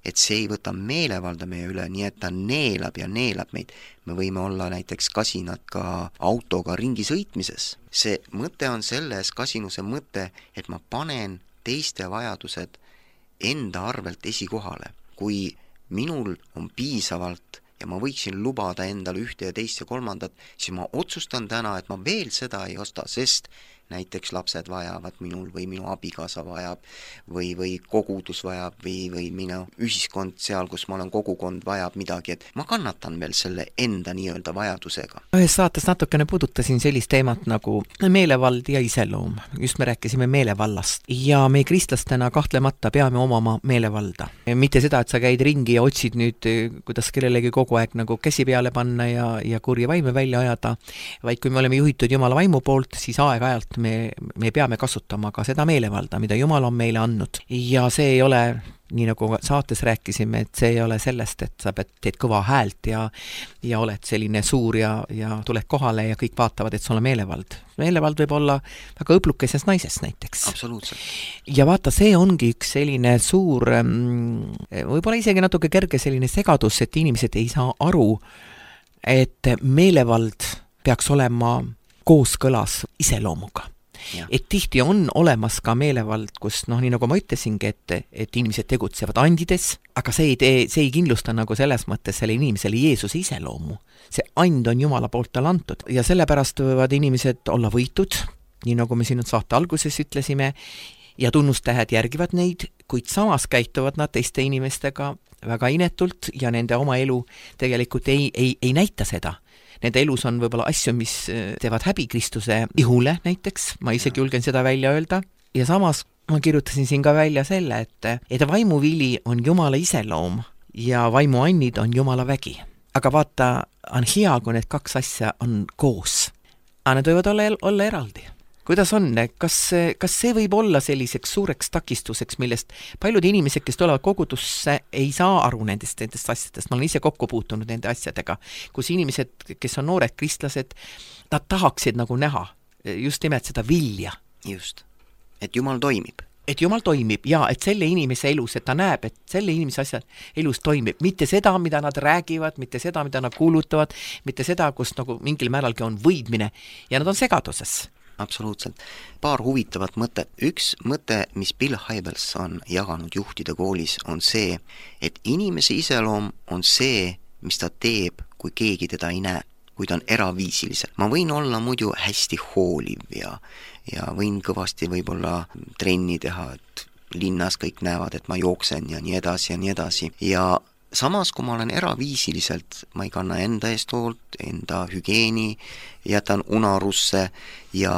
Et see ei võta meelevalda meie üle, nii et ta neelab ja neelab meid. Me võime olla näiteks kasinad ka autoga ringi sõitmises. See mõte on selles, kasinuse mõte, et ma panen teiste vajadused enda arvelt esikohale. Kui minul on piisavalt ja ma võiksin lubada endale ühte ja teist ja kolmandat, siis ma otsustan täna, et ma veel seda ei osta, sest näiteks lapsed vajavad minul või minu abikaasa vajab või, või kogudus vajab või, või minu ühiskond seal, kus ma olen kogukond, vajab midagi, et ma kannatan veel selle enda nii-öelda vajadusega. Ühes saates natukene puudutasin sellist teemat nagu meelevald ja iseloom. Just me rääkisime meelevallast ja me kristlastena kahtlemata peame omama meelevalda. Mitte seda, et sa käid ringi ja otsid nüüd, kuidas kellelegi kogu aeg nagu käsi peale panna ja, ja kurja vaime välja ajada, vaid kui me oleme juhitud Jumala vaimu poolt, siis aeg-ajalt me, me peame kasutama ka seda meelevalda, mida Jumal on meile andnud. Ja see ei ole, nii nagu saates rääkisime, et see ei ole sellest, et sa pead, teed kõva häält ja, ja oled selline suur ja, ja tuled kohale ja kõik vaatavad, et sul on meelevald. Meelevald võib olla väga õblukeses naises näiteks. Absoluutselt. Ja vaata, see ongi üks selline suur, võib-olla isegi natuke kerge selline segadus, et inimesed ei saa aru, et meelevald peaks olema kooskõlas iseloomuga. Ja. Et tihti on olemas ka meelevald, kus noh, nii nagu ma ütlesingi, et, et inimesed tegutsevad andides, aga see ei, tee, see ei kindlusta nagu selles mõttes selle inimesele Jeesuse iseloomu. See and on Jumala poolt talle antud ja sellepärast võivad inimesed olla võitud, nii nagu me siin saate alguses ütlesime, ja tunnustähed järgivad neid, kuid samas käituvad nad teiste inimestega väga inetult ja nende oma elu tegelikult ei, ei, ei näita seda. Nende elus on võib-olla asju, mis teevad häbi Kristuse ihule näiteks, ma isegi julgen seda välja öelda, ja samas ma kirjutasin siin ka välja selle, et, et vaimuvili on Jumala iseloom ja vaimuannid on Jumala vägi. Aga vaata, on hea, kui need kaks asja on koos. Aga need võivad olla, olla eraldi. Kuidas on? Kas, kas see võib olla selliseks suureks takistuseks, millest paljud inimesed, kes tulevad kogudusse, ei saa aru nendest, nendest asjadest. Ma olen ise kokku puutunud nende asjadega, kus inimesed, kes on noored kristlased, nad tahaksid nagu näha just nimelt seda vilja. Just. Et Jumal toimib. Et Jumal toimib ja et selle inimese elus, et ta näeb, et selle inimese asjad elus toimib. Mitte seda, mida nad räägivad, mitte seda, mida nad kuulutavad, mitte seda, kus nagu mingil määralgi on võidmine ja nad on segaduses. Absoluutselt. Paar huvitavat mõtet. Üks mõte, mis Bill Hybels on jaganud juhtide koolis, on see, et inimese iseloom on see, mis ta teeb, kui keegi teda ei näe, kui ta on eraviisiliselt. Ma võin olla muidu hästi hooliv ja, ja võin kõvasti võib-olla trenni teha, et linnas kõik näevad, et ma jooksen ja nii edasi ja nii edasi. Ja samas, kui ma olen eraviisiliselt, ma ei kanna enda eest hoolt, enda hügeeni, jätan unarusse ja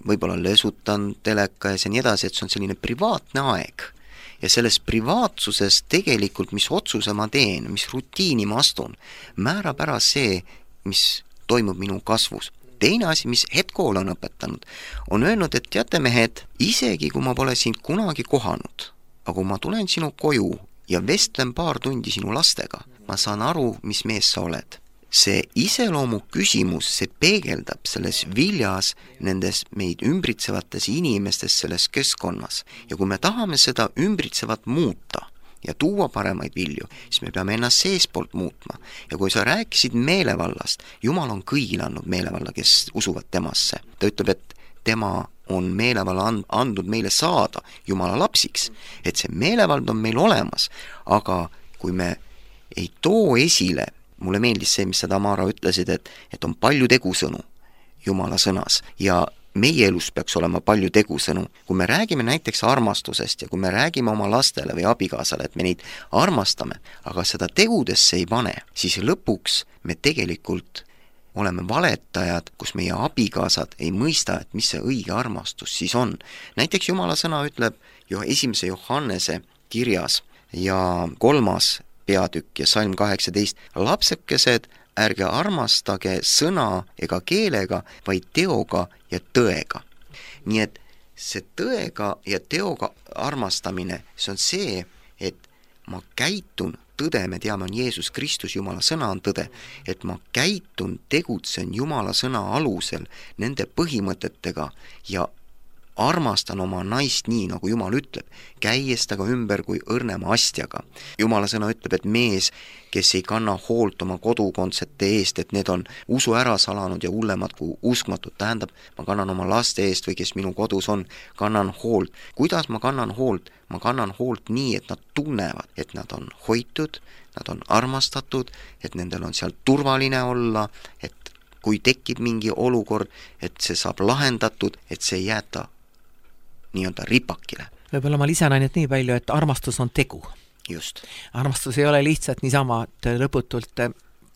võib-olla lösutan teleka ja nii edasi, et see on selline privaatne aeg. Ja selles privaatsuses tegelikult, mis otsuse ma teen, mis rutiini ma astun, määrab ära see, mis toimub minu kasvus. Teine asi, mis hetkool on õpetanud, on öelnud, et teate mehed, isegi kui ma pole sind kunagi kohanud, aga kui ma tulen sinu koju ja vestlen paar tundi sinu lastega, ma saan aru, mis mees sa oled. See iseloomu küsimus, see peegeldab selles viljas nendes meid ümbritsevates inimestes selles keskkonnas. Ja kui me tahame seda ümbritsevat muuta ja tuua paremaid vilju, siis me peame ennast seespoolt muutma. Ja kui sa rääkisid meelevallast, Jumal on kõigile andnud meelevalla, kes usuvad temasse. Ta ütleb, et tema on meelevalla andnud meile saada Jumala lapsiks, et see meelevald on meil olemas, aga kui me ei too esile, mulle meeldis see, mis sa Tamara ütlesid, et, et on palju tegusõnu Jumala sõnas ja meie elus peaks olema palju tegusõnu. Kui me räägime näiteks armastusest ja kui me räägime oma lastele või abikaasale, et me neid armastame, aga seda tegudesse ei pane, siis lõpuks me tegelikult oleme valetajad, kus meie abikaasad ei mõista, et mis see õige armastus siis on. Näiteks Jumala sõna ütleb jo esimese Johannese kirjas ja kolmas peatükk ja salm kaheksateist, lapsekesed, ärge armastage sõna ega keelega, vaid teoga ja tõega. Nii et see tõega ja teoga armastamine, see on see, et ma käitun, tõde, me teame, on Jeesus Kristus, Jumala sõna on tõde, et ma käitun, tegutsen Jumala sõna alusel nende põhimõtetega ja armastan oma naist nii, nagu Jumal ütleb, käies taga ümber kui õrnema astjaga. Jumala sõna ütleb, et mees, kes ei kanna hoolt oma kodukondsete eest, et need on usu ära salanud ja hullemad kui uskmatud, tähendab, ma kannan oma laste eest või kes minu kodus on, kannan hoolt. Kuidas ma kannan hoolt? Ma kannan hoolt nii, et nad tunnevad, et nad on hoitud, nad on armastatud, et nendel on seal turvaline olla, et kui tekib mingi olukord, et see saab lahendatud, et see ei jäeta nii-öelda ripakile. Võib-olla ma lisan ainult nii palju, et armastus on tegu. Just. Armastus ei ole lihtsalt niisama, et lõputult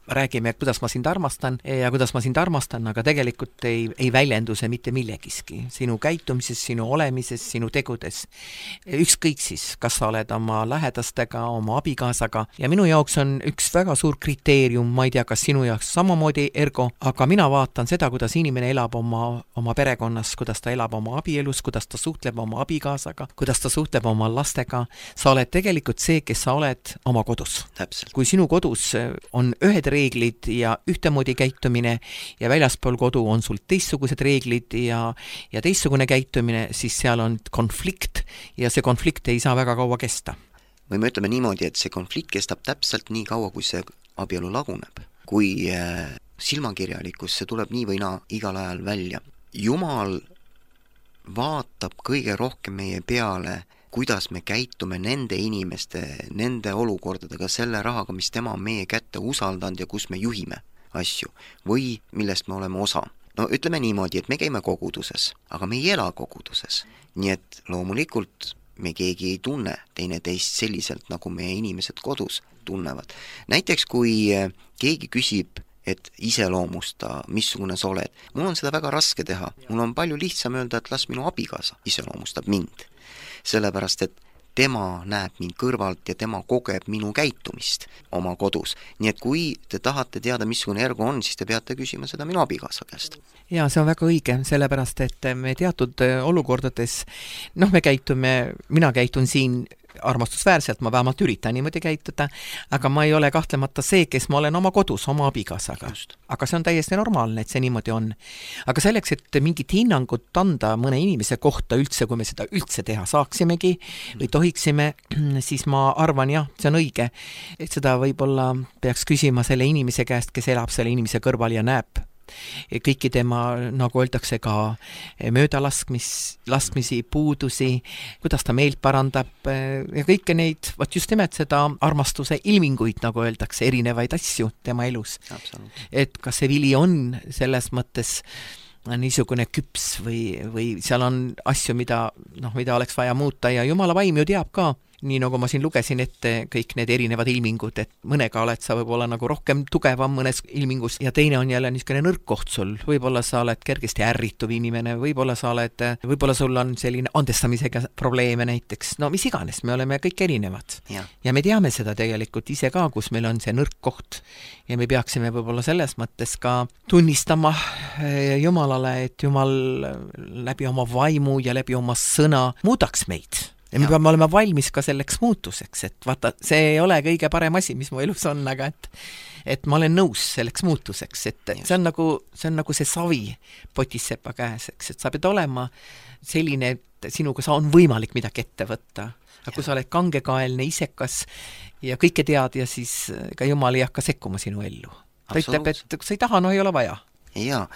räägime, kuidas ma sind armastan ja kuidas ma sind armastan, aga tegelikult ei, ei väljendu see mitte millegiski. Sinu käitumises, sinu olemises, sinu tegudes. Ükskõik siis, kas sa oled oma lähedastega, oma abikaasaga. Ja minu jaoks on üks väga suur kriteerium, ma ei tea, kas sinu jaoks samamoodi, Ergo, aga mina vaatan seda, kuidas inimene elab oma, oma perekonnas, kuidas ta elab oma abielus, kuidas ta suhtleb oma abikaasaga, kuidas ta suhtleb oma lastega. Sa oled tegelikult see, kes sa oled oma kodus. Täpselt. Kui sinu kodus on ühed reeglid ja ühtemoodi käitumine ja väljaspool kodu on sul teistsugused reeglid ja, ja teistsugune käitumine, siis seal on konflikt ja see konflikt ei saa väga kaua kesta. Või me ütleme niimoodi, et see konflikt kestab täpselt nii kaua, kui see abielu laguneb. kui silmakirjalikkus, see tuleb nii või naa igal ajal välja. Jumal vaatab kõige rohkem meie peale, kuidas me käitume nende inimeste, nende olukordadega, selle rahaga, mis tema on meie kätte usaldanud ja kus me juhime asju või millest me oleme osa. No ütleme niimoodi, et me käime koguduses, aga me ei ela koguduses. Nii et loomulikult me keegi ei tunne teineteist selliselt, nagu meie inimesed kodus tunnevad. Näiteks kui keegi küsib, et iseloomusta, missugune sa oled. Mul on seda väga raske teha. Mul on palju lihtsam öelda, et las minu abikaasa iseloomustab mind. Sellepärast, et tema näeb mind kõrvalt ja tema kogeb minu käitumist oma kodus. Nii et kui te tahate teada, missugune Ergo on, siis te peate küsima seda minu abikaasa käest. Ja see on väga õige, sellepärast, et me teatud olukordades, noh, me käitume, mina käitun siin armastusväärselt, ma vähemalt üritan niimoodi käituda, aga ma ei ole kahtlemata see, kes ma olen oma kodus, oma abikaasaga. Aga see on täiesti normaalne, et see niimoodi on. Aga selleks, et mingit hinnangut anda mõne inimese kohta üldse, kui me seda üldse teha saaksimegi või tohiksime, siis ma arvan, jah, see on õige, et seda võib-olla peaks küsima selle inimese käest, kes elab selle inimese kõrval ja näeb kõiki tema, nagu öeldakse, ka möödalaskmis, laskmisi, puudusi, kuidas ta meelt parandab ja kõike neid, võt just nimelt seda armastuse ilminguid, nagu öeldakse, erinevaid asju tema elus. Et kas see vili on selles mõttes niisugune küps või, või seal on asju, mida, noh, mida oleks vaja muuta ja Jumala vaim ju teab ka, nii nagu ma siin lugesin ette kõik need erinevad ilmingud, et mõnega oled sa võib-olla nagu rohkem tugevam mõnes ilmingus ja teine on jälle niisugune nõrk koht sul, võib-olla sa oled kergesti ärrituv inimene, võib-olla sa oled, võib-olla sul on selline andestamisega probleeme näiteks, no mis iganes, me oleme kõik erinevad ja, ja me teame seda tegelikult ise ka, kus meil on see nõrk koht ja me peaksime võib-olla selles mõttes ka tunnistama Jumalale, et Jumal läbi oma vaimu ja läbi oma sõna muudaks meid. Ja me peame olema valmis ka selleks muutuseks, et vaata, see ei ole kõige parem asi, mis mu elus on, aga et, et ma olen nõus selleks muutuseks, et see on nagu see, on nagu see savi potissepa käes, eks, et sa pead olema selline, et sinuga sa on võimalik midagi ette võtta, aga kui sa oled kangekaelne, isekas ja kõike tead ja siis ka Jumal ei hakka sekkuma sinu ellu. Ta ütleb, et kui sa ei taha, no ei ole vaja. Ja,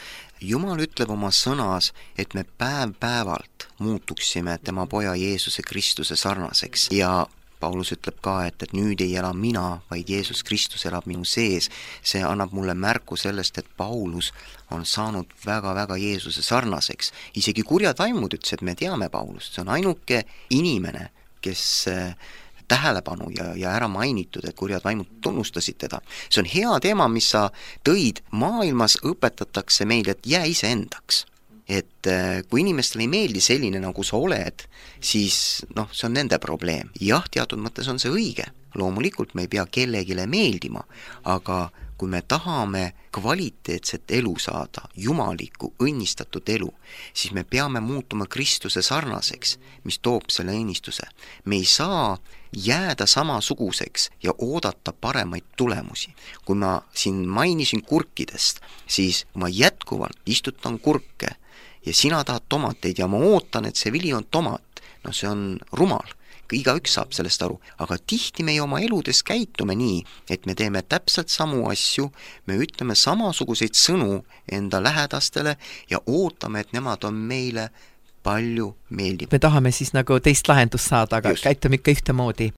Jumal ütleb oma sõnas, et me päev päevalt muutuksime tema poja Jeesuse Kristuse sarnaseks ja Paulus ütleb ka, et, et nüüd ei ela mina, vaid Jeesus Kristus elab minu sees. See annab mulle märku sellest, et Paulus on saanud väga-väga Jeesuse sarnaseks. Isegi kurjad vaimud ütles, et me teame Paulust. See on ainuke inimene, kes tähelepanu ja, ja ära mainitud, et kurjad vaimud tunnustasid teda. See on hea teema, mis sa tõid. Maailmas õpetatakse meil, et jää ise endaks. Et kui inimestele ei meeldi selline, nagu sa oled, siis noh, see on nende probleem. Jah, teatud mõttes on see õige. Loomulikult me ei pea kellegile meeldima, aga kui me tahame kvaliteetset elu saada, jumalikku, õnnistatud elu, siis me peame muutuma Kristuse sarnaseks, mis toob selle õnnistuse. Me ei saa jääda samasuguseks ja oodata paremaid tulemusi. Kui ma siin mainisin kurkidest, siis ma jätkuvalt istutan kurke ja sina tahad tomateid ja ma ootan, et see vili on tomat. No see on rumal. Igaüks saab sellest aru, aga tihti meie oma eludes käitume nii, et me teeme täpselt samu asju, me ütleme samasuguseid sõnu enda lähedastele ja ootame, et nemad on meile palju meeldib. Me tahame siis nagu teist lahendust saada, aga Just. käitume ikka ühtemoodi.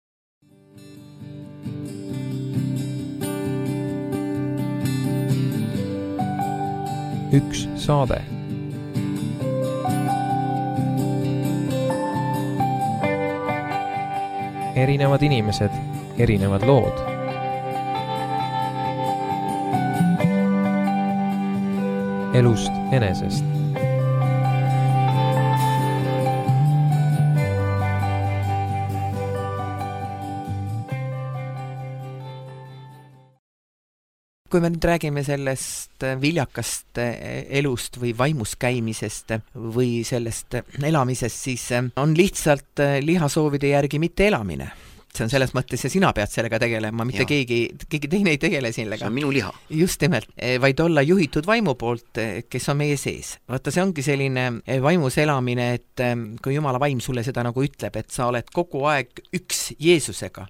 Üks saade. Erinevad inimesed, erinevad lood. Elust enesest. Kui me nüüd räägime sellest viljakast elust või vaimus käimisest või sellest elamisest, siis on lihtsalt lihasoovide järgi mitte elamine. see on selles mõttes ja sina pead sellega tegelema, mitte Jah. keegi, keegi teine ei tegele sellega. see on minu liha. Just nimelt, vaid olla juhitud vaimu poolt, kes on meie sees. Vaata, see ongi selline vaimus elamine, et kui Jumala vaim sulle seda nagu ütleb, et sa oled kogu aeg üks Jeesusega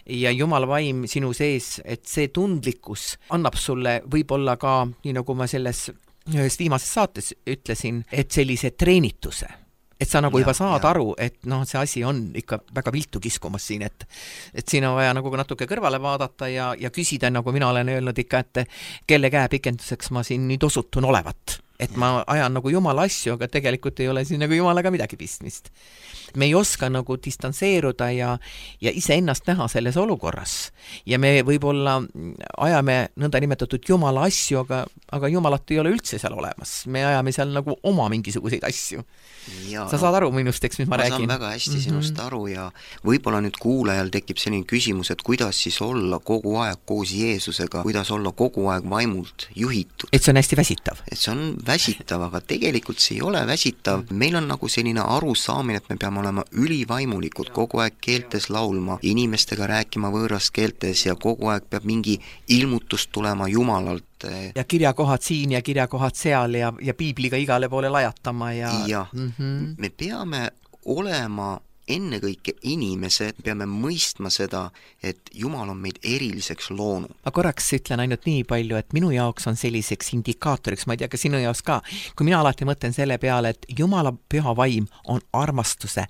ja Jumala vaim sinu sees, et see tundlikkus annab sulle võib-olla ka, nii nagu ma selles ühes viimases saates ütlesin, et sellise treenituse, et sa nagu Ja, juba saad ja. aru, et noh, see asi on ikka väga viltu kiskumas siin, et et siin on vaja nagu natuke kõrvale vaadata ja, ja küsida, nagu mina olen öelnud ikka, et kelle käe pikenduseks ma siin nüüd osutun olevat. Et ma ajan nagu Jumala asju, aga tegelikult ei ole siin nagu Jumalaga midagi pistmist. Me ei oska nagu distantseeruda ja, ja ise ennast näha selles olukorras. Ja me võib-olla ajame nõnda nimetatud Jumala asju, aga, aga Jumalat ei ole üldse seal olemas. Me ajame seal nagu oma mingisuguseid asju. Ja, Sa saad aru minust, eks, mis ma, ma räägin? saan väga hästi sinust aru ja võib-olla nüüd kuulajal tekib selline küsimus, et kuidas siis olla kogu aeg koos Jeesusega, kuidas olla kogu aeg vaimult juhitud. Et see on hästi väsitav. Et see on väsitav, aga tegelikult see ei ole väsitav. Meil on nagu selline arusaamine, et me peame olema ülivaimulikud, kogu aeg keeltes laulma, inimestega rääkima võõras keeltes ja kogu aeg peab mingi ilmutus tulema Jumalalt. Ja kirjakohad siin ja kirjakohad seal ja, ja piibliga igale poole lajatama ja... ja mm-hmm. me peame olema ennekõike inimesed, peame mõistma seda, et Jumal on meid eriliseks loonud. Ma korraks ütlen ainult nii palju, et minu jaoks on selliseks indikaatoriks, ma ei tea, ka sinu jaoks ka, kui mina alati mõtlen selle peale, et Jumala püha vaim on armastuse,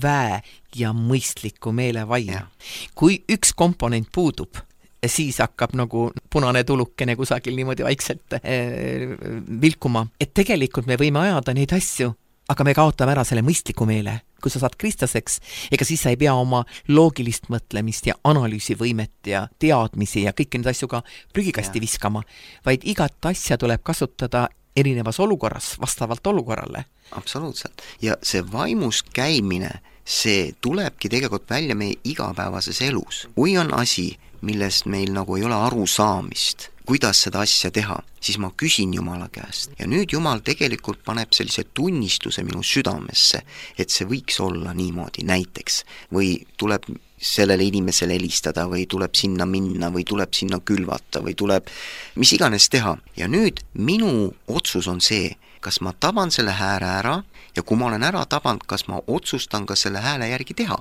väe ja mõistliku meele vaim. Ja. Kui üks komponent puudub, siis hakkab nagu punane tulukene kusagil niimoodi vaikselt äh, vilkuma. Et tegelikult me võime ajada neid asju, aga me kaotame ära selle mõistliku meele. Kui sa saad kristlaseks, ega siis sa ei pea oma loogilist mõtlemist ja analüüsivõimet ja teadmisi ja kõiki neid asju ka prügikasti Ja. viskama, vaid igat asja tuleb kasutada erinevas olukorras, vastavalt olukorrale. Absoluutselt. Ja see vaimus käimine, see tulebki tegelikult välja meie igapäevases elus. Kui on asi, millest meil nagu ei ole arusaamist, kuidas seda asja teha, siis ma küsin Jumala käest. Ja nüüd Jumal tegelikult paneb sellise tunnistuse minu südamesse, et see võiks olla niimoodi näiteks. Või tuleb sellele inimesele helistada või tuleb sinna minna või tuleb sinna külvata või tuleb mis iganes teha. Ja nüüd minu otsus on see, kas ma taban selle hääle ära ja kui ma olen ära tabanud, kas ma otsustan ka selle hääle järgi teha.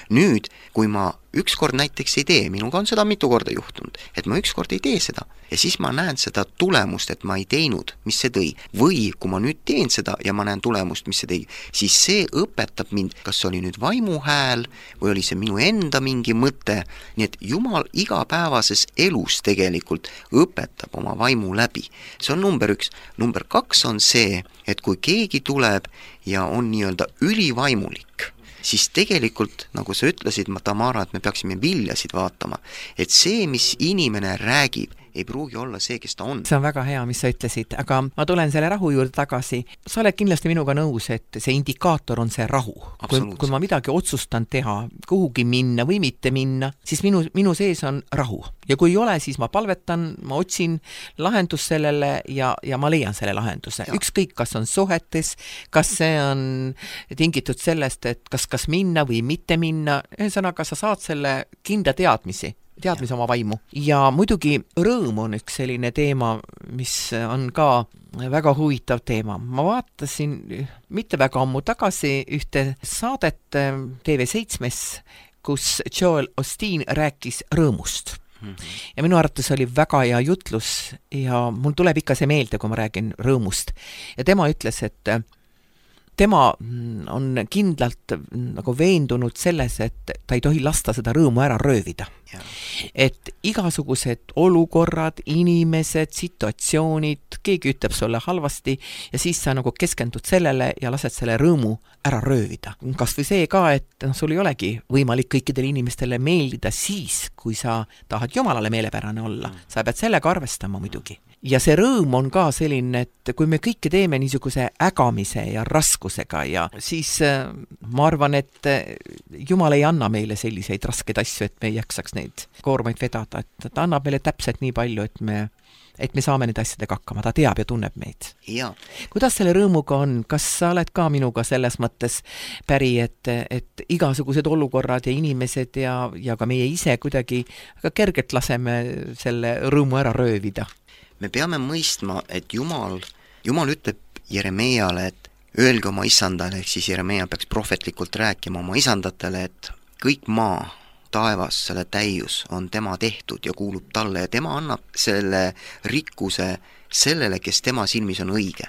Nüüd, kui ma ükskord näiteks ei tee, minuga on seda mitu korda juhtunud, et ma ükskord ei tee seda ja siis ma näen seda tulemust, et ma ei teinud, mis see tõi. Või kui ma nüüd teen seda ja ma näen tulemust, mis see tõi, siis see õpetab mind, kas see oli nüüd vaimu hääl või oli see minu enda mingi mõte. Nii et Jumal igapäevases elus tegelikult õpetab oma vaimu läbi. See on number üks. Number kaks on see, et kui keegi tuleb ja on nii-öelda ülivaimulik, siis tegelikult, nagu sa ütlesid, Tamara, et me peaksime viljasid vaatama, et see, mis inimene räägib, ei pruugi olla see, kes ta on. See on väga hea, mis sa ütlesid, aga ma tulen selle rahu juurde tagasi. Sa oled kindlasti minuga nõus, et see indikaator on see rahu. Kui, kui ma midagi otsustan teha, kuhugi minna või mitte minna, siis minu, minu sees on rahu. Ja kui ei ole, siis ma palvetan, ma otsin lahendus sellele ja, ja ma leian selle lahenduse. Ja. Ükskõik, kas on suhetes, kas see on tingitud sellest, et kas, kas minna või mitte minna, ühesõnaga sa saad selle kinda teadmisi. teadmise oma vaimu. Ja muidugi rõõm on üks selline teema, mis on ka väga huvitav teema. Ma vaatasin mitte väga ammu tagasi ühte saadet T V seitsmes, kus Joel Osteen rääkis rõõmust. Mm-hmm. Ja minu arvates oli väga hea jutlus ja mul tuleb ikka see meelde, kui ma räägin rõõmust. Ja tema ütles, et tema on kindlalt nagu veendunud selles, et ta ei tohi lasta seda rõõmu ära röövida. Ja. Et igasugused olukorrad, inimesed, situatsioonid, keegi ütleb sulle halvasti ja siis sa nagu keskendud sellele ja lased selle rõõmu ära röövida. Kas või see ka, et sul ei olegi võimalik kõikidele inimestele meeldida siis, kui sa tahad Jumalale meelepärane olla. Sa pead sellega arvestama muidugi. Ja see rõõm on ka selline, et kui me kõike teeme niisuguse ägamise ja raskusega ja siis ma arvan, et Jumal ei anna meile selliseid raskeid asju, et me ei jaksaks neid koormaid vedada, et ta annab meile täpselt nii palju, et me et me saame need asjadega hakkama, ta teab ja tunneb meid. ja Kuidas selle rõõmuga on? Kas sa oled ka minuga selles mõttes päri, et, et igasugused olukorrad ja inimesed ja, ja ka meie ise kuidagi väga kergelt laseme selle rõõmu ära röövida? me peame mõistma, et Jumal, Jumal ütleb Jeremiale, et öelge oma isandale, ehk siis Jeremia peaks prohvetlikult rääkima oma isandatele, et kõik maa, taevas, selle täius on tema tehtud ja kuulub talle ja tema annab selle rikkuse sellele, kes tema silmis on õige.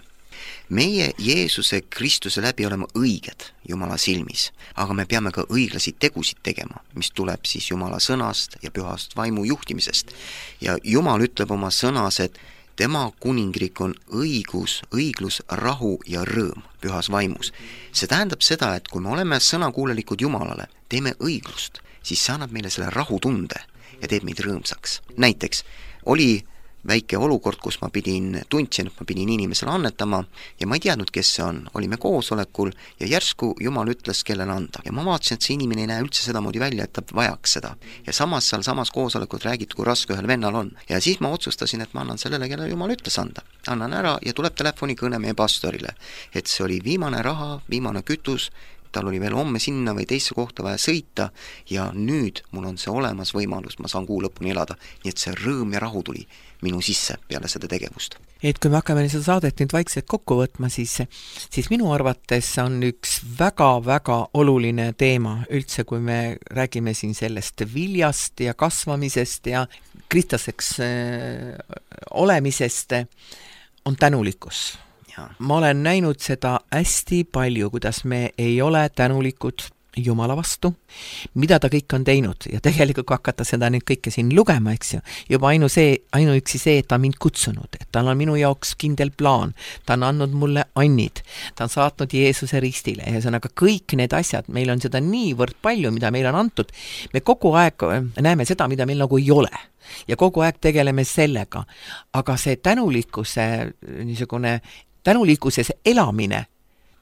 Meie Jeesuse Kristuse läbi oleme õiged Jumala silmis, aga me peame ka õiglasi tegusid tegema, mis tuleb siis Jumala sõnast ja pühast vaimu juhtimisest. Ja Jumal ütleb oma sõnas, et tema kuningriik on õigus, õiglus, rahu ja rõõm pühas vaimus. See tähendab seda, et kui me oleme sõnakuulelikud Jumalale, teeme õiglust, siis see annab meile selle rahutunde ja teeb meid rõõmsaks. Näiteks oli väike olukord, kus ma pidin, tundsin, et ma pidin inimesele annetama ja ma ei teadnud, kes see on. Olime koosolekul ja järsku Jumal ütles, kellele anda. Ja ma vaatasin, et see inimene ei näe üldse sedamoodi välja, et ta vajaks seda. Ja samas seal samas koosolekut räägiti, kui raske ühel vennal on. Ja siis ma otsustasin, et ma annan sellele, kellele Jumal ütles anda. Annan ära ja tuleb telefonikõne meie pastorile. Et see oli viimane raha, viimane kütus, tal oli veel homme sinna või teisse kohta vaja sõita ja nüüd mul on see olemas võimalus, ma saan kuu lõpuni elada. Nii et see rõõm ja rahu tuli minu sisse peale seda tegevust. Et kui me hakkame seda saadet nüüd vaikselt kokku võtma, siis, siis minu arvates on üks väga-väga oluline teema üldse, kui me räägime siin sellest viljast ja kasvamisest ja kristlaseks äh, olemisest, on tänulikkus. Ma olen näinud seda hästi palju, kuidas me ei ole tänulikud Jumala vastu, mida ta kõik on teinud ja tegelikult kui hakata seda nüüd kõike siin lugema, eks ju, juba ainu see, ainuüksi see, et ta on mind kutsunud, et tal on minu jaoks kindel plaan, ta on andnud mulle annid, ta on saatnud Jeesuse ristile ja see on aga kõik need asjad, meil on seda niivõrd palju, mida meil on antud, me kogu aeg näeme seda, mida meil nagu ei ole ja kogu aeg tegeleme sellega, aga see tänulikkuse niisugune tänulikkuses elamine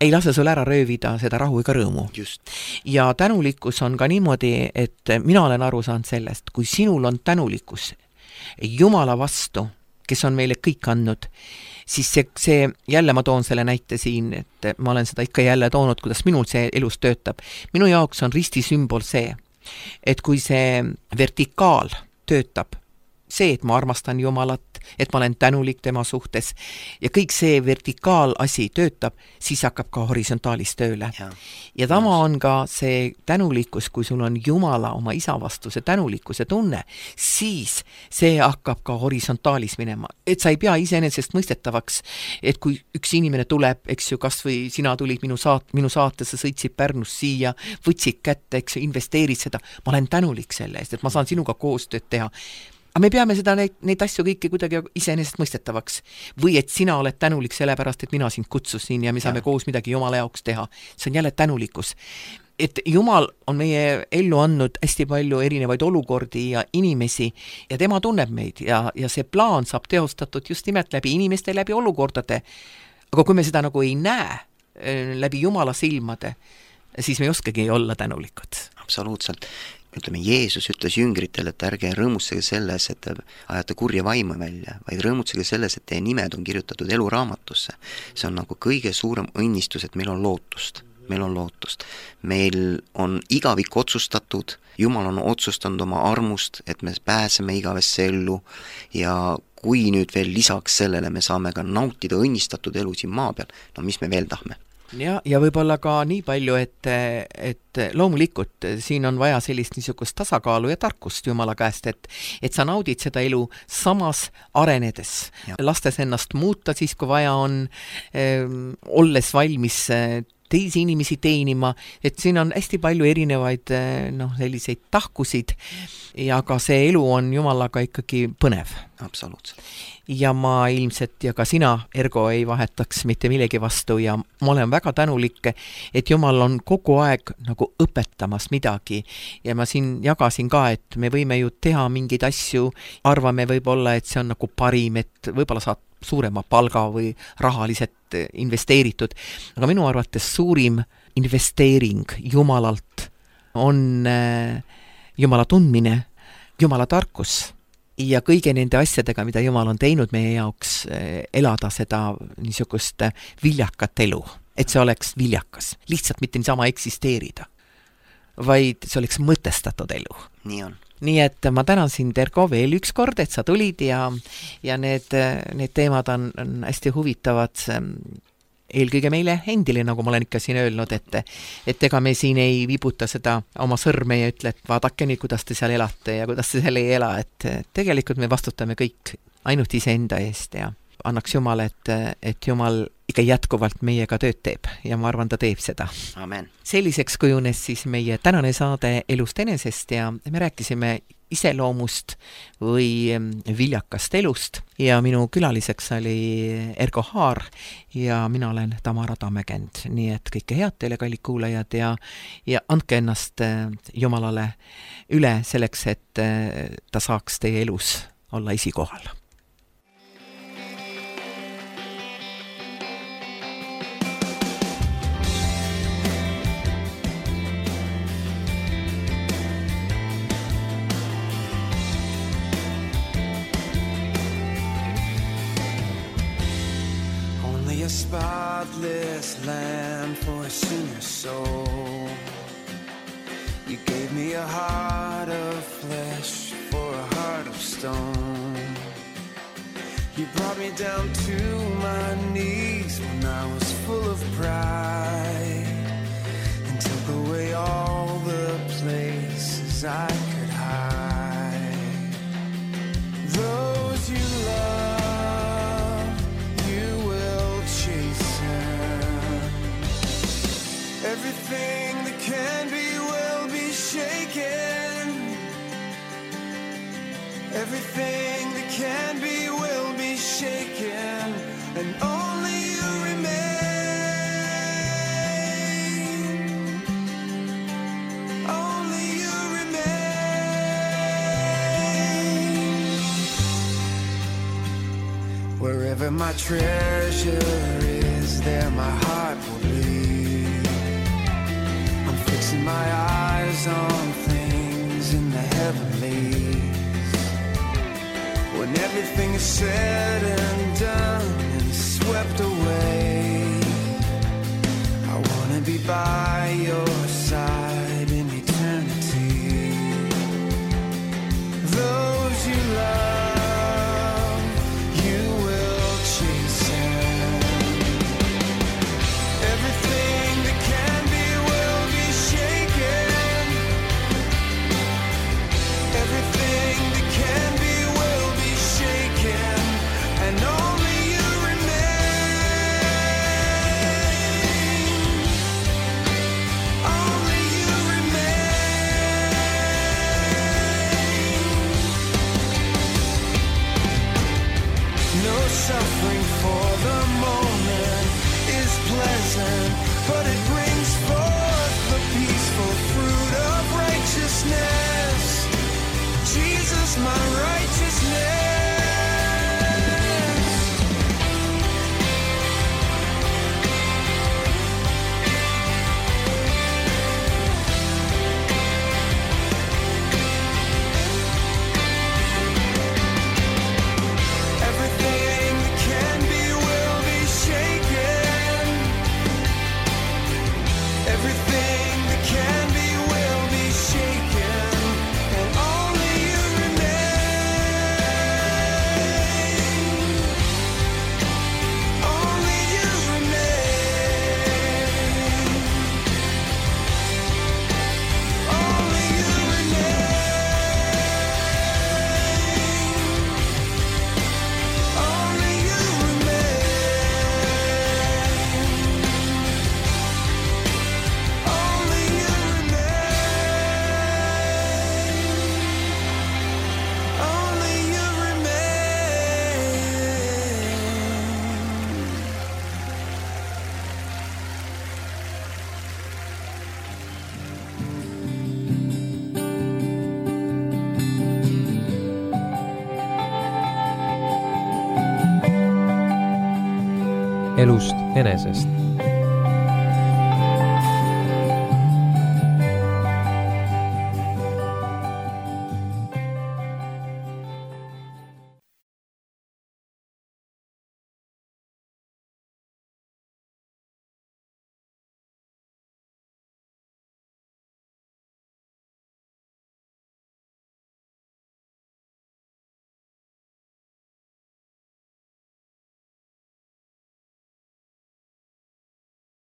ei lase sul ära röövida seda rahu ega rõõmu. Just. Ja tänulikkus on ka niimoodi, et mina olen aru saanud sellest, kui sinul on tänulikkus Jumala vastu, kes on meile kõik andnud, siis see, see, jälle ma toon selle näite siin, et ma olen seda ikka jälle toonud, kuidas minul see elus töötab. Minu jaoks on risti sümbol see, et kui see vertikaal töötab, see, et ma armastan Jumalat, et ma olen tänulik tema suhtes ja kõik see vertikaalasi töötab, siis hakkab ka horisontaalis tööle. Ja, ja tama on ka see tänulikkus, kui sul on Jumala oma isa vastu see tänulikkuse tunne, siis see hakkab ka horisontaalis minema. Et sa ei pea iseenesest mõistetavaks, et kui üks inimene tuleb, eks ju, kas või sina tulid minu, saat, minu saatesse, sõitsid Pärnus siia, võtsid kätte, eks ju, investeerid seda, ma olen tänulik selle eest, et ma saan sinuga koostööd teha. Aga me peame seda, neid, neid asju kõiki kuidagi iseenesest mõistetavaks. Või et sina oled tänulik sellepärast, et mina sind kutsusin ja me saame ja. koos midagi Jumala jaoks teha. See on jälle tänulikkus. Et Jumal on meie ellu andnud hästi palju erinevaid olukordi ja inimesi ja tema tunneb meid ja, ja see plaan saab teostatud just nimelt läbi inimeste, läbi olukordade. Aga kui me seda nagu ei näe läbi Jumala silmade, siis me ei oskagi olla tänulikud. Absoluutselt. Ütleme, Jeesus ütles jüngritele, et ärge rõõmutsege selles, et te ajate kurja vaimu välja, vaid rõõmutsege selles, et teie nimed on kirjutatud eluraamatusse. See on nagu kõige suurem õnnistus, et meil on lootust. Meil on lootust. Meil on igavik otsustatud, Jumal on otsustanud oma armust, et me pääseme igavesse ellu ja kui nüüd veel lisaks sellele me saame ka nautida õnnistatud elu siin maa peal, no mis me veel tahme? Ja, ja võib-olla ka nii palju, et, et loomulikult siin on vaja sellist niisugust tasakaalu ja tarkust Jumala käest, et, et sa naudid seda elu samas arenedes, ja. lastes ennast muuta siis, kui vaja on, äh, olles valmis äh, teisi inimesi teenima, et siin on hästi palju erinevaid noh, selliseid tahkusid ja ka see elu on Jumalaga ikkagi põnev. Absoluutselt. Ja ma ilmselt ja ka sina, Ergo, ei vahetaks mitte millegi vastu ja ma olen väga tänulik, et Jumal on kogu aeg nagu õpetamas midagi ja ma siin jagasin ka, et me võime ju teha mingeid asju, arvame võib-olla, et see on nagu parim, et võib-olla saad suurema palga või rahaliselt investeeritud. Aga minu arvates suurim investeering Jumalalt on Jumala tundmine, Jumala tarkus ja kõige nende asjadega, mida Jumal on teinud meie jaoks, elada seda niisugust viljakat elu, et see oleks viljakas, lihtsalt mitte niisama eksisteerida, vaid see oleks mõtestatud elu. nii on. Nii et ma tänan sind, Erko, veel üks kord, et sa tulid ja, ja need, need teemad on, on hästi huvitavad eelkõige meile endile, nagu ma olen ikka siin öelnud, et, et ega me siin ei vibuta seda oma sõrme ja ütle, et vaadake nüüd, kuidas te seal elate ja kuidas te seal ei ela, et tegelikult me vastutame kõik ainult iseenda eest ja annaks Jumal, et, et Jumal ikka jätkuvalt meiega tööd teeb ja ma arvan, ta teeb seda. Amen. Selliseks kujunes siis meie tänane saade Elust enesest ja me rääkisime iseloomust või viljakast elust ja minu külaliseks oli Erko Haar ja mina olen Tamara Tammekend. Nii et kõike head teile, kallid kuulajad, ja, ja andke ennast Jumalale üle selleks, et ta saaks teie elus olla esikohal. A spotless lamb for a sinner's soul. You gave me a heart of flesh for a heart of stone. You brought me down to my knees when I was full of pride and took away all the places I could hide. Those you love, everything that can be will be shaken. Everything that can be will be shaken, and only you remain. Only you remain. Wherever my treasure is, there my heart will be. Fixing my eyes on things in the heavenlies. When everything is said and done and swept away, I want to be by your side in eternity. Those you love, you will chasten. Everything that can be everything that can be will be shaken, and only you remain. Only you remain. No suffering for the moment is pleasant, but it brings forth the peaceful fruit of righteousness. Jesus, my righteousness. Everything that can be will be shaken. Everything that can be will be shaken, and only you remain. Only you remain. Only you remain. Only you remain. Only you remain. Only you Elust enesest.